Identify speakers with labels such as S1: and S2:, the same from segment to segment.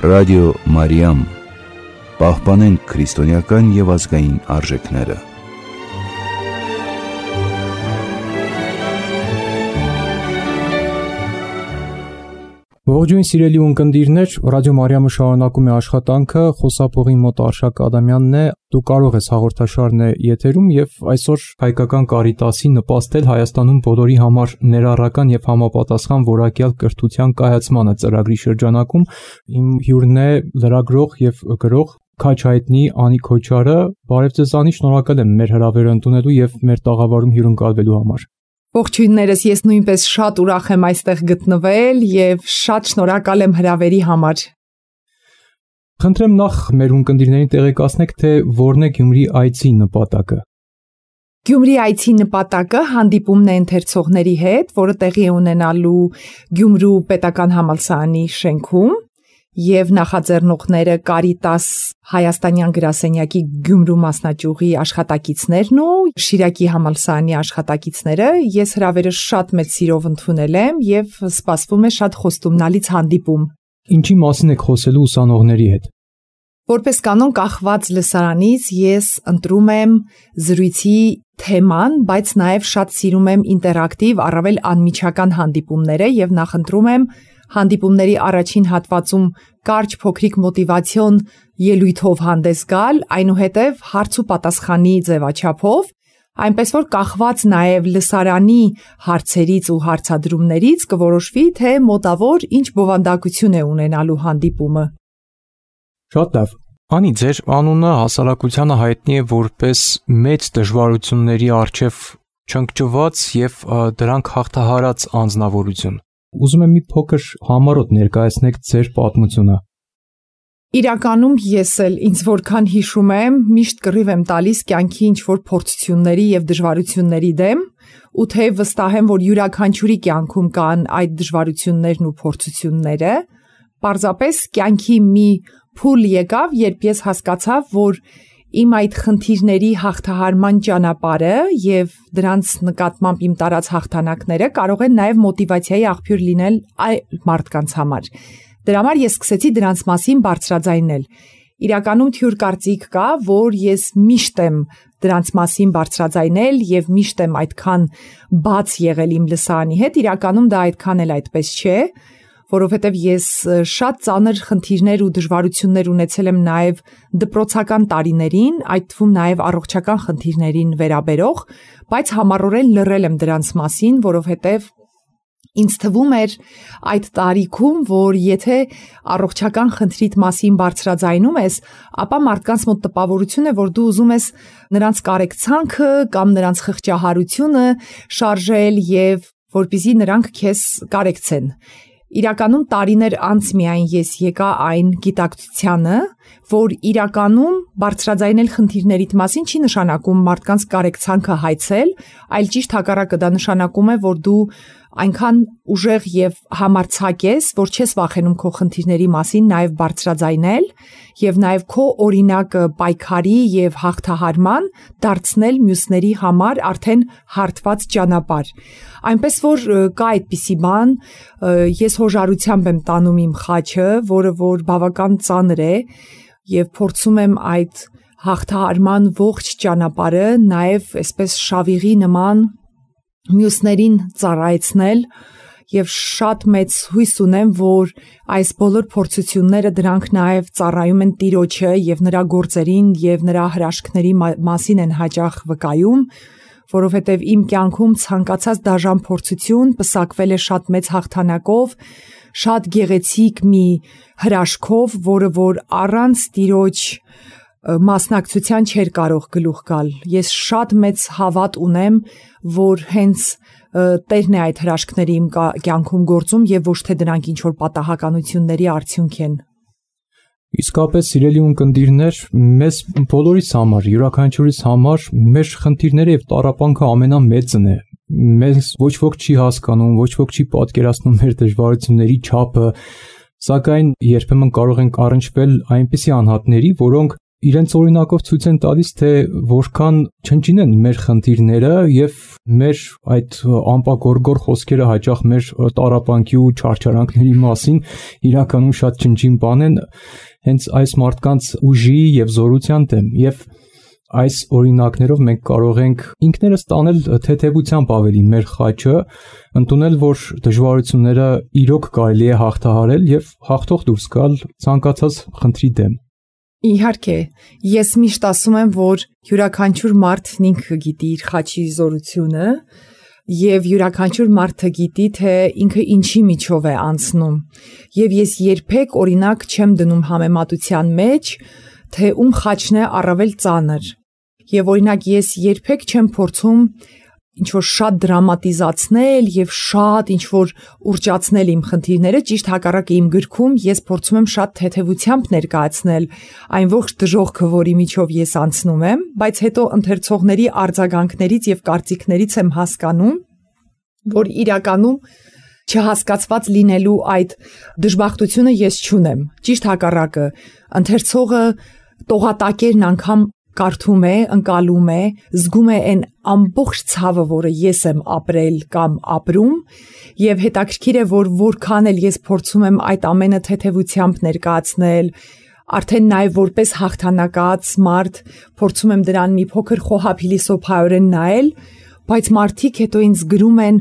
S1: Ռադիո Մարիամ, պահպանենք քրիստոնեական և ազգային արժեքները։
S2: Ողջույն սիրելի ունկնդիրներ, Ռադիո Մարիամը շարունակում է աշխատանքը, խոսափողի մոտ Արշակ Ադամյանն է, դու կարող ես հաղորդաշարն է եթերում և այսօր հայկական Կարիտասի նպաստել Հայաստանում բոլորի համար ներառական և համապատասխան որակյալ կրթության կայացմանը ծրագրի շրջանակում։ Իմ հյուրն է լրագրող և գրող քաչ հայտնի Անի Քոչարը։ Բարև ձեզ Անի, շնորհակալ եմ մեր հրավերը ընդունելու և մեր տաղավարում հյուրընկալվելու համար։
S3: Ողջույններս, ես նույնպես շատ ուրախ եմ այստեղ գտնվել և շատ շնորհակալ եմ հրավերի համար։
S2: Խնդրեմ նախ մեր ունկնդիրներին տեղեկացնեք, թե որն է Գյումրի այցի նպատակը։
S3: Գյումրի այցի նպատակը հանդիպումն է ընթերցողների հետ, որը տեղի է ունենալու Գյումրու պետական համալսարանի շենքում, և նախաձեռնողները Կարիտաս Հայաստանյան գրասենյակի Գյումրու մասնաճյուղի աշխատակիցներն ու Շիրակի համալսարանի աշխատակիցները։ Ես հրավերը շատ մեծ սիրով ընդունել եմ և սպասվում է շատ խոստումնալից հանդիպում։
S2: Ինչի մասին եք խոսելու ուսանողների հետ։
S3: Որպես կանոն կախված լսարանից ես ընտրում եմ զրույցի թեման, բայց նաև շատ սիրում եմ ինտերակտիվ, առավել անմիջական հանդիպումները և նախընտրում եմ հանդիպումների առաջին հատվածում կարճ փոքրիկ մոտիվացիոն ելույթով հանդես գալ, այնուհետև հարց ու պատասխանի ձևաչափով, այնպես որ կախված նաև լսարանի հարցերից ու հարցադրումներից կորոշվի, թե մոտավոր ինչ բովանդակություն է ունենալու հանդիպումը։
S2: Շատ լավ։ Անի, ձեր անունը հասարակությանը հայտնի է որպես մեծ դժվարությունների առջև չընկճված և դրանք հաղթահարած անձնավորություն։ Ուզում եմ մի փոքր համառոտ ներկայացնեք ձեր պատմությունը։
S3: Իրականում ես էլ ինձ որքան հիշում եմ, միշտ կռիվ եմ տալիս կյանքի ինչ-որ փորձությունների և դժվարությունների դեմ, ու թեև վստահ եմ, որ յուրաքանչյուրի կյանքում կան այդ դժվարություններն ու փորձությունները, պարզապես կյանքի մի փուլ եկավ, երբ ես հասկացա, որ իմ այդ խնդիրների հաղթահարման ճանապարհը և դրանց նկատմամբ իմ տարած հաղթանակները կարող են նաև մոտիվացիայի աղբյուր լինել այլ մարդկանց համար։ Դրա համար ես սկսեցի դրանց մասին բարձրաձայնել։ Իրականում թյուր կարծիք կա, որ ես միշտ եմ դրանց մասին բարձրաձայնել և միշտ եմ այդքան բաց եղել իմ լսարանի հետ, իրականում դա այդքան էլ այդպես չէ, որովհետև ես շատ ծանր խնդիրներ ու դժվարություններ ունեցել եմ նաև դպրոցական տարիներին, այդ թվում նաև առողջական խնդիրներին վերաբերող, բայց համառորեն լռել եմ դրանց մասին, որովհետև ինձ թվում էր այդ տարիքում, որ եթե առողջական խնդրիդ մասին բարձրաձայնում ես, ապա մարդկանց մոտ տպավորություն է, որ դու ուզում ես նրանց կարեկցանքը կամ նրանց խղճահարությունը շարժել և որպեսզի նրանք քեզ կարեկցեն։ Իրականում տարիներ անց միայն ես եկա այն գիտակցությանը, որ իրականում բարձրաձայնել խնդիրներիդ մասին չի նշանակում մարդկանց կարեկցանքը հայցել, այլ ճիշտ հակառակը, դա նշանակում է, որ դու այնքան ուժեղ և համարձակ ես, որ չես վախենում քո խնդիրների մասին նաև բարձրաձայնել և նաև քո օրինակը պայքարի և հաղթահարման դարձնել մյուսների համար արդեն հարթված ճանապարհ։ Այնպես որ կա այդպիսի բան, ես հոժարությամբ եմ տանում իմ խաչը, որը որ բավական ծանր է և փորձում եմ այդ հաղթահարման ողջ ճանապարհը նաև այսպես շավիղի նման մյուսներին ծառայեցնել և շատ մեծ հույս ունեմ, որ այս բոլոր փորձությունները դրանք նաև ծառայում են Տիրոջը և նրա գործերին և նրա հրաշքների մասին են հաճախ վկայում, որովհետև իմ կյանքում ցանկացած դաժան փորձություն պսակվել է շատ մեծ հաղթանակով, շատ գեղեցիկ մի հրաշքով, որը որ առանց Տիրոջ մասնակցության չէր կարող գլուխ գալ։ Ես շատ մեծ հավատ ունեմ, որ հենց Տերն է այդ հրաշքները իմ կյանքում գործում և ոչ թե դրանք ինչ-որ պատահականությունների արդյունք են։
S2: Իսկապես, սիրելի ունկնդիրներ, մեզ բոլորիս համար, յուրաքանչյուրիս համար մեր խնդիրները և տառապանքը ամենամեծն է։ Մեզ ոչ ոք չի հասկանում, ոչ ոք չի պատկերացնում մեր դժվարությունների չափը, սակայն երբեմն կարող ենք առնչվել այնպիսի անհատների, որոնք իրենց օրինակով ցույց են տալիս, թե որքան չնչին են մեր խնդիրները եւ մեր այդ ամպագորգոր խոսքերը հաճախ մեր տառապանքի ու չարչարանքների մասին իրականում շատ չնչին բան են հենց այս մարդկանց ուժի եւ զորության դեմ եւ այս օրինակներով մենք կարող ենք ինքներս տանել թեթևությամբ ավելի մեր խաչը, ընդունել, որ դժվարությունները իրոք կարելի է հաղթահարել եւ հաղթող դուրս գալ ցանկացած խնդրի դեմ։
S3: Իհարկե, ես միշտ ասում եմ, որ յուրաքանչյուր մարդն ինքը գիտի իր խաչի զորությունը եւ յուրաքանչյուր մարդը գիտի, թե ինքը ինչի միջով է անցնում։ Եվ ես երբեք օրինակ չեմ դնում համեմատության մեջ, թե ում խաչն է առավել ծանր։ Եվ օրինակ ես երբեք չեմ փորձում ինչ-որ շատ դրամատիզացնել եւ շատ ինչ-որ ուռճացնել իմ խնդիրները, ճիշտ հակառակը իմ գրքում ես փորձում եմ շատ թեթևությամբ ներկայացնել այն ողջ դժոխքը, որի միջով ես անցնում եմ, բայց հետո ընթերցողների արձագանքներից եւ կարծիքներից եմ հասկանում, որ իրականում չհասկացված լինելու այդ դժբախտությունը ես չունեմ։ Ճիշտ հակառակը, ընթերցողը տողատակերն անգամ կարդում է, ընկալում է, զգում է այն ամբողջ ցավը, որը ես եմ ապրել կամ ապրում, եւ հետաքրքիր է, որ որքան էլ ես փորձում եմ այդ ամենը թեթևությամբ ներկայացնել, արդեն նաեւ որպես հաղթանակած մարդ փորձում եմ դրան մի փոքր խոհափիլիսոփայորեն նայել, բայց մարդիկ հետո ինձ գրում են,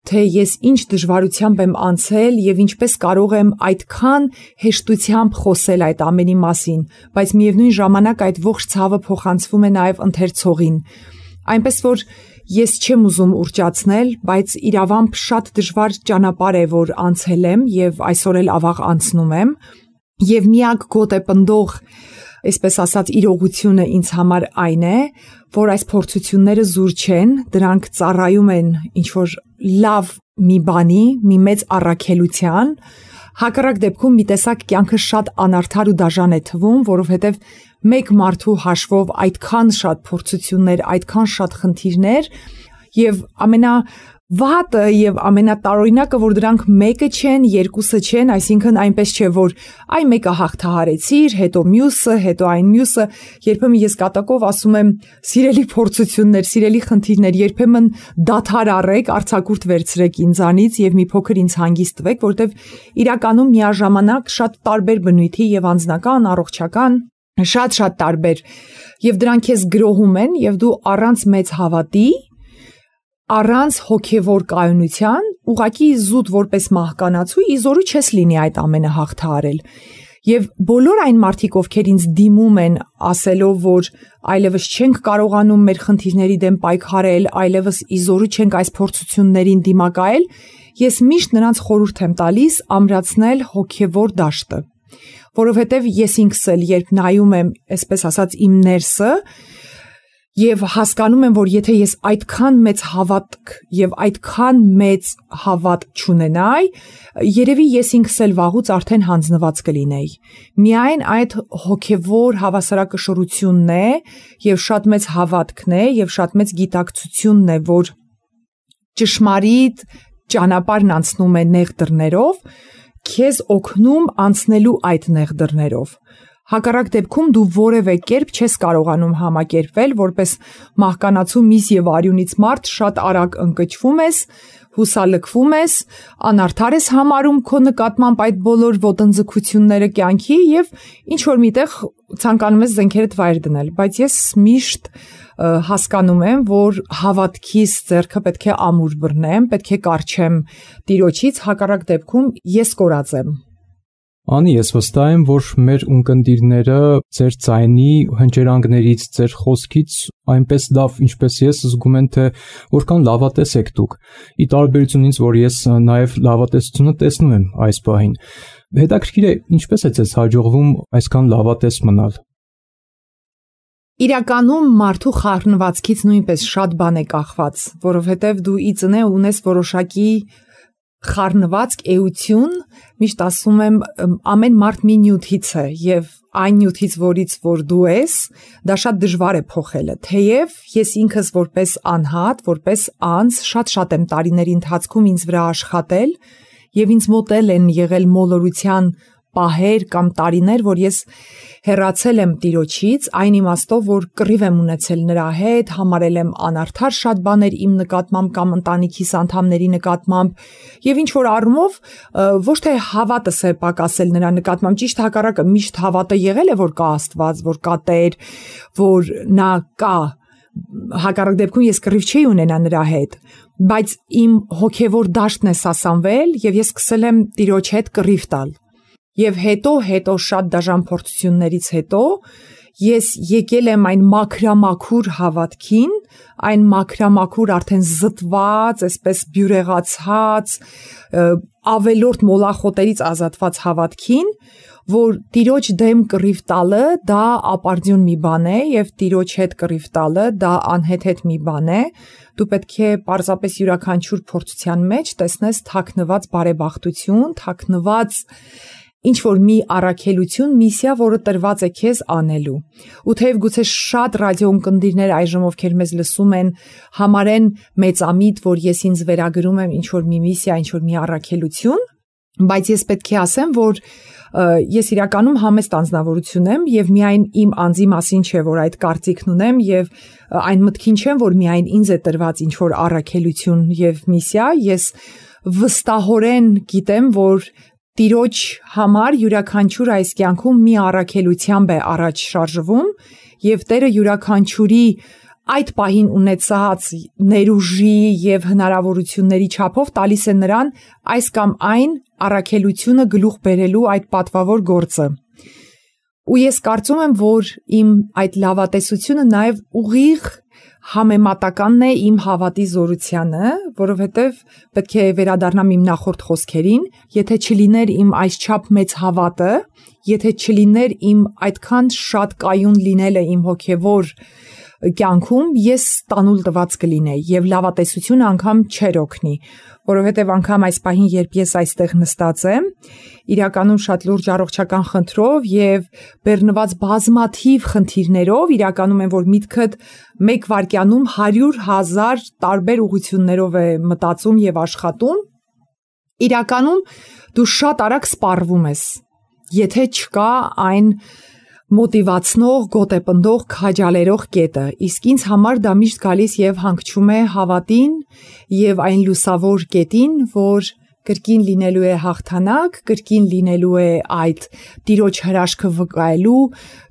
S3: թե ես ինչ դժվարությամբ եմ անցել եւ ինչպես կարող եմ այդքան հեշտությամբ խոսել այդ ամենի մասին, բայց միևնույն ժամանակ այդ ողջ ցավը փոխանցվում է նաեւ ընթերցողին։ Այնպես որ ես չեմ ուզում ուռճացնել, բայց իրավամբ շատ դժվար ճանապարհ է, որ անցել եմ եւ այսօր էլ ավաղ անցնում եմ, եւ միակ գոտեպնդող, այսպես ասած, իրողությունը ինձ համար այն է, որ այս փորձությունները զուր չեն, դրանք ծառայում են ինչ-որ լավ մի բանի, մի մեծ առաքելության, հակառակ դեպքում մի տեսակ կյանքը շատ անարդար ու դաժան է թվում, որովհետև մեկ մարդու հաշվով այդքան շատ փորձություններ, այդքան շատ խնդիրներ եւ ամենավատը եւ ամենատարօրինակը, որ դրանք մեկը չեն, երկուսը չեն, այսինքն այնպես չէ, որ այ մեկը հաղթահարեցիր, հետո մյուսը, հետո այն մյուսը, երբեմն ես կատակով ասում եմ, սիրելի փորձություններ, սիրելի խնդիրներ, երբեմն դադար առեք, արձակուրդ վերցրեք ինձանից եւ մի փոքր ինձ հանգիստ տվեք, որտեվ իրականում միաժամանակ շատ տարբեր բնույթի եւ անձնական, առողջական, շատ տարբեր, եւ դրանք քեզ գրոհում են եւ դու առանց մեծ հավատի, առանց հոգևոր կայունության, ուղղակի զուտ որպես մահկանացու իզորու չես լինի այդ ամենը հաղթահարել։ Եվ բոլոր այն մարդիկ, ովքեր ինձ դիմում են ասելով, որ այլևս չենք կարողանում մեր խնդիրների դեմ պայքարել, այլևս իզորու չենք այս փորձություններին դիմակայել, ես միշտ նրանց խորհուրդ եմ տալիս ամրացնել հոգևոր դաշտը, որովհետև ես ինքս էլ երբ նայում եմ, այսպես ասած, իմ ներսը, եւ հասկանում եմ, որ եթե ես այդքան մեծ հավատք եւ այդքան մեծ հավատ չունենայի, երևի ես ինքս էլ վաղուց արդեն հանձնված կլինեի։ Միայն այդ հոգևոր հավասարակշռությունն է եւ շատ մեծ հավատքն է եւ շատ մեծ գիտակցությունն է, որ ճշմարիտ ճանապարհն անցնում է նեղ դռներով, քեզ օգնում անցնելու այդ նեղ դռներով։ Հակառակ դեպքում դու որևէ կերպ չես կարողանում համակերպվել, որպես մահկանացու միս եւ արյունից մարդ շատ արագ ընկճվում ես, հուսալքվում ես, անարդար ես համարում քո նկատմամբ այդ բոլոր ոտնձգությունները կյանքի եւ ինչ որ միտեղ ցանկանում ես զենքերդ վայր դնել, բայց ես միշտ հասկանում եմ, որ հավատքիս ձեռքը պետք է ամուր բռնեմ, պետք է կառչեմ Տիրոջից, հակառակ դեպքում ես կորած եմ։
S2: Անի, ես վստահ եմ, որ մեր ունկնդիրները ձեր ձայնի հնչերանգներից, ձեր խոսքից այնպես լավ, ինչպես ես, զգում են, թե որքան լավատես եք դուք։ Ի տարբերություն ինձ, որ ես նաև լավատեսությունը տեսնում եմ այս պահին։ Հետաքրքիր է, ինչպես է ձեզ հաջողվում այսքան լավատես մնալ։
S3: Իրականում մարդու խառնվածքից նույնպես շատ բան է կախված, որովհետև դու ի ծնե ունես որոշակի խառնվածք, էություն, միշտ ասում եմ, ամեն մարդ մի նյութից է եւ այն նյութից, որից որ դու ես, դա շատ դժվար է փոխելը։ Թեև ես ինքս որպես անհատ, որպես անձ շատ եմ տարիների ընթացքում ինձ վրա աշխատել եւ ինձ մոտ են եղել մոլորության պահեր կամ տարիներ, որ ես հեռացել եմ Տիրոջից, այն իմաստով, որ կռիվ եմ ունեցել նրա հետ, համարել եմ անարդար շատ բաներ իմ նկատմամբ կամ ընտանիքիս անդամների նկատմամբ, եւ ինչ որ առումով ոչ թե հավատս է պակասել նրա նկատմամբ, ճիշտ հակառակը, միշտ հավատը եղել է, որ կա Աստված, որ կա Տեր, որ նա կա, հակառակ դեպքում ես կռիվ չի ունենա նրա հետ, բայց իմ հոգևոր դաշտն է սասանվել եւ ես սկսել եմ Տիրոջ հետ կռիվ տալ։ Եվ հետո շատ դաժան փորձություններից հետո ես եկել եմ այն մաքրամաքուր հավատքին, այն մաքրամաքուր արդեն զտված, այսպես բյուրեղացած, ավելորդ մոլախոտերից ազատված հավատքին, որ Տիրոջ դեմ կռիվ տալը դա ապարդյուն մի բան է եւ Տիրոջ հետ կռիվ տալը դա անհեթեթ մի բան է, դու պետք է պարզապես յուրաքանչյուր փորձության մեջ տեսնես թաքնված բարեբախտություն, թաքնված ինչ որ մի առաքելություն, միսիա, որը տրված է քեզ անելու։ Ու թեև գուցե շատ ռադիոընկերներ այժմ ովքեր մեզ լսում են, համարեն մեծամիտ, որ ես ինձ վերագրում եմ ինչ որ մի միսիա, ինչ որ մի առաքելություն, բայց ես պետք է ասեմ, որ ես իրականում համեստ անձնավորություն եմ եւ միայն իմ անձի մասին չէ, որ այդ կարծիքն ունեմ եւ այն մտքին չեմ, որ միայն ինձ է տրված ինչ որ առաքելություն եւ միսիա, ես վստահորեն գիտեմ, որ Տիրոջ համար յուրաքանչյուր այս կյանքում մի առաքելությամբ է առաջ շարժվում եւ Տերը յուրաքանչյուրի այդ պահին ունեցած ներուժի եւ հնարավորությունների չափով տալիս է նրան այս կամ այն առաքելությունը գլուխ բերելու այդ պատվավոր գործը։ Ու ես կարծում եմ, որ իմ այդ լավատեսությունը նաեւ ուղիղ համեմատականն է իմ հավատի զորությանը, որովհետև պետք է վերադառնամ իմ նախորդ խոսքերին, եթե չլիներ իմ այսչափ մեծ հավատը, եթե չլիներ իմ այդքան շատ կայուն լինելը իմ հոգևոր կյանքում, ես տանուլ տված կլինեի եւ լավատեսությունը անգամ չէր օգնի, որովհետև անգամ այս պահին, երբ ես այստեղ նստած եմ, իրականում շատ լուրջ առողջական խնդրով եւ բեռնված բազմաթիվ խնդիրներով, իրականում են, որ միտքդ մեկ վայրկյանում 100,000 տարբեր ուղղություններով է մտածում եւ աշխատում, իրականում դու շատ արագ սպառվում ես, եթե չկա այն մոտիվացնող, գոտեպնդող, քաջալերող կետը, իսկ ինձ համար դա միշտ գալիս եւ հանգչում է հավատին եւ այն լուսավոր կետին, որ կրկին լինելու է հաղթանակ, կրկին լինելու է այդ Տիրոջ հրաշքը վկայելու,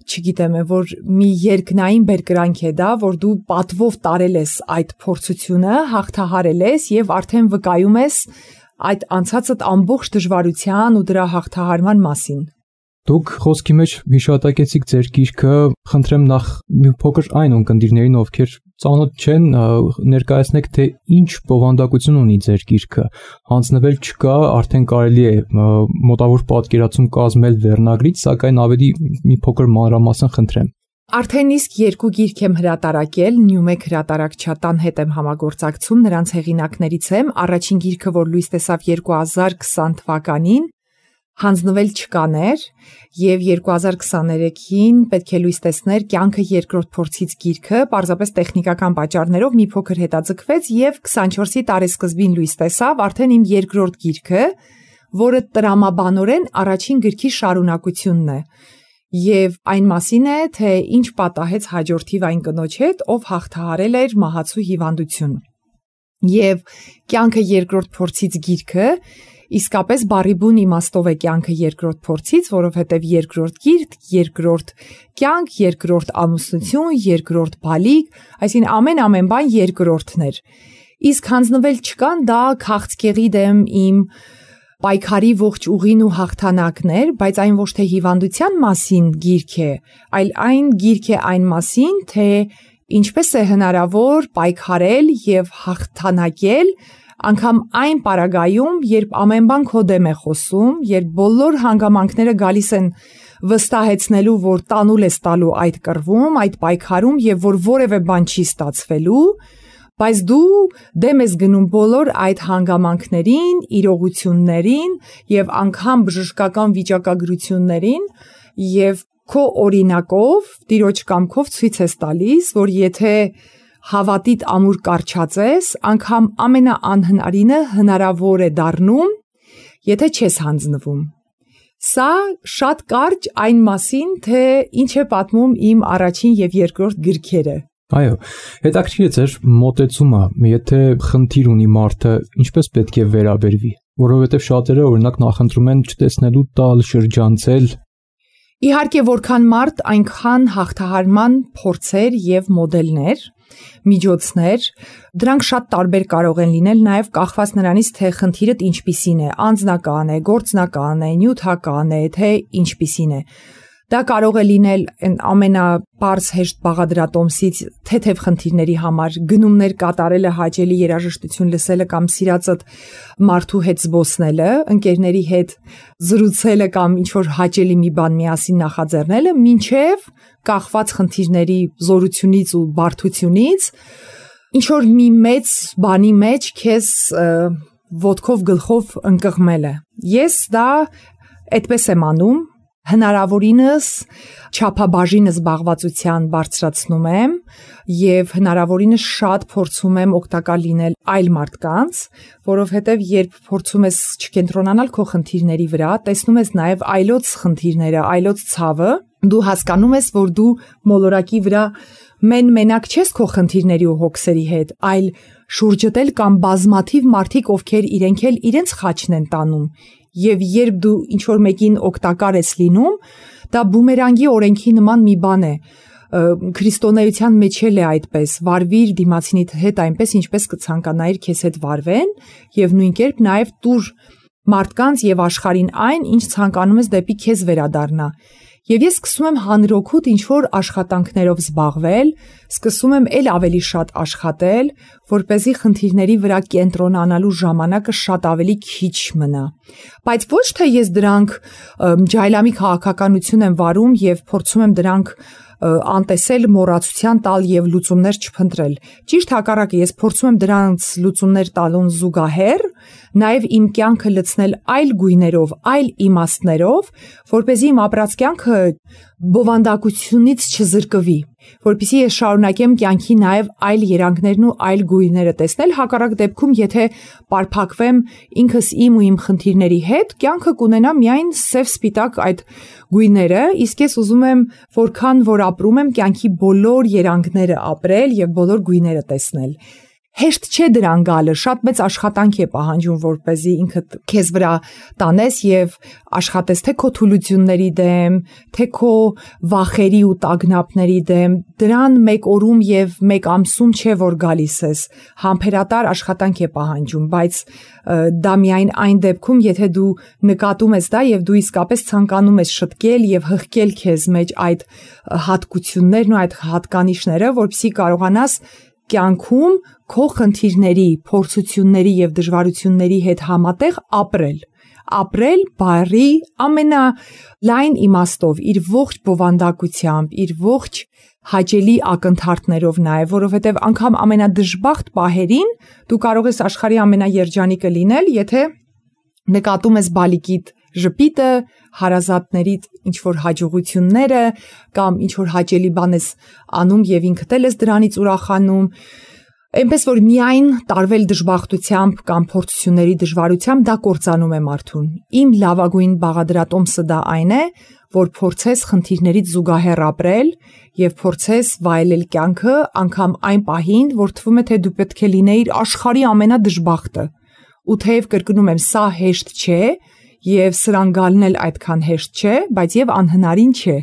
S3: չգիտեմ, որ մի երկնային բերկրանք է դա, որ դու պատվով տարել ես այդ փորձությունը, հաղթահարել ես եւ արդեն վկայում ես այդ անցածդ ամբողջ դժվարության ու դրա հաղթահարման մասին։
S2: Դուք խոսքի մեջ հիշատակեցիք ձեր գիրքը, խնդրեմ նախ մի փոքր այն ունկնդիրներին, ովքեր ծանոթ չեն, ներկայացնեք, թե ինչ բովանդակություն ունի ձեր գիրքը, հանձնվել չկա, արդեն կարելի է մոտավոր պատկերացում կազմել վերնագրից, սակայն ավելի մի փոքր մանրամասն խնդրեմ։
S3: Արդեն իսկ 2 գիրք եմ հրատարակել, Նյումեկ հրատարակչատան հետ եմ համագործակցում, նրանց հեղինակներից եմ, առաջին գիրքը, որ լույս տեսավ 2020 թվականին, հանձնվել չկաներ եւ 2023-ին պետք է լույս տեսներ կյանքը երկրորդ փորձից գիրքը, պարզապես տեխնիկական պատճառներով մի փոքր հետաձգվեց եւ 24-ի տարեսկզբին լույս տեսավ արդեն իմ երկրորդ գիրքը, որը տրամաբանորեն առաջին գրքի շարունակությունն է։ Եվ այն մասին է, թե ինչ պատահեց հաջորդիվ այն կնոջ հետ, ով հաղթահարել էր մահացու հիվանդություն։ Եվ կյանքը երկրորդ փորձից գիրքը իսկապես բառի բուն իմաստով է կյանքը երկրորդ փորձից, որովհետև երկրորդ գիրք, երկրորդ կյանք, երկրորդ ամուսնություն, երկրորդ բալիկ, այսինքն ամեն բան երկրորդն էր։ Իսկ հանձնվել չկան, դա քաղցկեղի դեմ իմ պայքարի ողջ ուղին ու հաղթանակն էր, բայց այն ոչ թե հիվանդության մասին գիրք է, այլ այն գիրք է այն մասին, թե ինչպես է հնարավոր պայքարել եւ հաղթանակել անգամ այն պարագայում, երբ ամեն բան քո դեմ է խոսում, երբ բոլոր հանգամանքները գալիս են վստահեցնելու, որ տանուլ ես տալու այդ կռվում, այդ պայքարում եւ որ որևէ բան չի ստացվելու, բայց դու դեմ ես գնում բոլոր այդ հանգամանքներին, իրողություններին եւ անգամ բժշկական վիճակագրություններին եւ քո օրինակով, Տիրոջ կամքով ցույց ես տալիս, որ եթե հավատիդ ամուր կարճած ես, անգամ ամենաանհնարինը հնարավոր է դառնում, եթե չես հանձնվում։ Սա շատ կարճ այն մասին, թե ինչ է պատմում իմ առաջին եւ երկրորդ գրքերը։
S2: Այո, հետաքրքիր է ձեր մոտեցումը, եթե խնդիր ունի մարդը, ինչպես պետք է վերաբերվի, որովհետև շատերը օրինակ նախընտրում են չտեսնելու տալ, շրջանցել։
S3: Իհարկե, որքան մարդ, այնքան հաղթահարման փորձեր եւ մոդելներ, միջոցներ, դրանք շատ տարբեր կարող են լինել, նաև կախված նրանից, թե խնդիրդ ինչպիսին է, անձնական է, գործնական է, նյութական է, թե ինչպիսին է։ Դա կարող է լինել ամենապարզ հեշտ բաղադրատոմսից թեթև խնդիրների համար, գնումներ կատարելը, հաճելի երաժշտություն լսելը կամ սիրածդ մարդու հետ զբոսնելը, ընկերների հետ զրուցելը կամ ինչ-որ հաճելի մի բան միասին նախաձեռնելը, մինչև կախված խնդիրների զորությունից ու բարդությունից, ինչ-որ մի մեծ բանի մեջ քեզ ոտքով գլխով ընկղմելը։ Ես դա այդպես եմ անում, հնարավորինս չափաբաժին զբաղվածության բարձրացնում եմ եւ հնարավորինս շատ փորձում եմ օգտակար լինել այլ մարդկանց, որովհետեւ երբ փորձում ես չկենտրոնանալ քո խնդիրների վրա, տեսնում ես նաեւ այլոց խնդիրները, այլոց ցավը, դու հասկանում ես, որ դու մոլորակի վրա մենակ չես քո խնդիրների ու հոգսերի հետ, այլ շուրջդ էլ կամ բազմաթիվ մարդիկ, ովքեր իրենք էլ իրենց խաչն են տանում։ Եվ երբ դու ինչ-որ մեկին օգտակար ես լինում, դա բումերանգի օրենքի նման մի բան է։ Քրիստոնեության մեջ էլ է այդպես, վարվիր դիմացինիդ հետ այնպես, ինչպես կցանկանայիր քեզ հետ վարվեն, եւ նույն կերպ նաեւ տուր մարդկանց եւ աշխարհին այն, ինչ ցանկանում ես դեպի քեզ վերադառնա։ Եվ ես սկսում եմ հանրօգուտ ինչ-որ աշխատանքներով զբաղվել, սկսում եմ էլ ավելի շատ աշխատել, որպեսզի խնդիրների վրա կենտրոնանալու ժամանակը շատ ավելի քիչ մնա։ Բայց ոչ թե ես դրանք ջայլամի քաղաքականություն եմ վարում եւ փորձում եմ դրանք անտեսել, մոռացության տալ եւ լուծումներ չփնտրել։ Ճիշտ հակառակը, ես փորձում եմ դրանց լուծումներ տալուն զուգահեռ նաև իմ կյանքը լցնել այլ գույներով, այլ իմաստներով, որպեսզի իմ ապրած կյանքը բովանդակությունից չզրկվի, որպեսզի ես շարունակեմ կյանքի նաև այլ երանգներն ու այլ գույները տեսնել, հակառակ դեպքում, եթե պարփակվեմ ինքս իմ ու իմ խնդիրների հետ, կյանքը կունենա միայն սև-սպիտակ այդ գույները, իսկ ես ուզում եմ, որքան որ ապրում եմ, կյանքի բոլոր երանգները ապրել եւ բոլոր գույները տեսնել։ Հեշտ չէ դրան գալը, շատ մեծ աշխատանք է պահանջում, որպեսզի ինքդ քեզ վրա տանես եւ աշխատես թե քո թուլությունների դեմ, թե քո վախերի ու տագնապների դեմ։ Դրան մեկ օրում եւ մեկ ամսում չէ որ գալիս ես, համբերատար աշխատանք է պահանջում, բայց դա միայն այն դեպքում, եթե դու նկատում ես դա եւ դու իսկապես ցանկանում ես շտկել եւ հղկել քեզ մեջ այդ հատկություններն ու այդ հատկանիշները, որպեսզի կարողանաս կյանքում քո խնդիրների, փորձությունների եւ դժվարությունների հետ համատեղ ապրել բարի ամենալայն իմաստով, իր ողջ բովանդակությամբ, իր ողջ հաճելի ակնթարթներով նաեւ, որովհետեւ անգամ ամենադժբախտ պահերին դու կարող ես աշխարհի ամենաերջանիկը լինել, եթե նկատում ես բալիկիդ ժպիտը, հարազատներիդ ինչ-որ հաջողությունները կամ ինչ-որ հաճելի բան ես անում եւ ինքդ ես դրանից ուրախանում, այնպես որ միայն տարվել դժբախտությամբ կամ փորձությունների դժվարությամբ դա կործանում է մարդուն։ Իմ լավագույն բաղադրատոմսը դա այն է, որ փորձես խնդիրներից զուգահեռ ապրել եւ փորձես վայելել կյանքը անգամ այն պահին, որ թվում է թե դու պետք է լինեիր աշխարհի ամենադժբախտը։ Ու թեև կրկնում եմ, սա հեշտ չէ, եւ սրան գալն էլ այդքան հեշտ չէ, բայց եւ անհնարին չէ։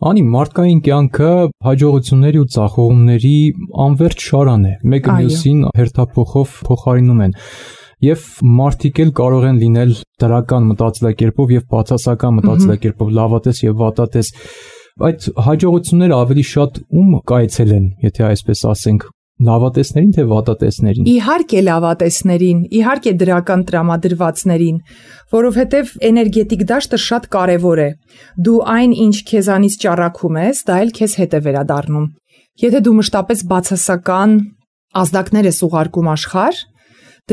S2: Անի, մարդկային կյանքը հաջողությունների ու ձախողումների անվերջ շարան է, մեկը մյուսին հերթափոխով փոխարինում են։ Եվ մարդիկ էլ կարող են լինել դրական մտածելակերպով եւ բացասական մտածելակերպով, լավատես եւ վատատես։ Այդ հաջողությունները ավելի շատ ում կայցել են, եթե այսպես ասենք, լավատեսներին թե վատատեսներին։
S3: Իհարկե լավատեսներին, իհարկե դրական տրամադրվածներին, որովհետև էներգետիկ դաշտը շատ կարևոր է։ Դու այն, ինչ քեզանից ճառագում ես, դա էլ քեզ հետ է վերադառնում։ Եթե դու մշտապես բացասական ազդակներ ես ուղարկում աշխարհ,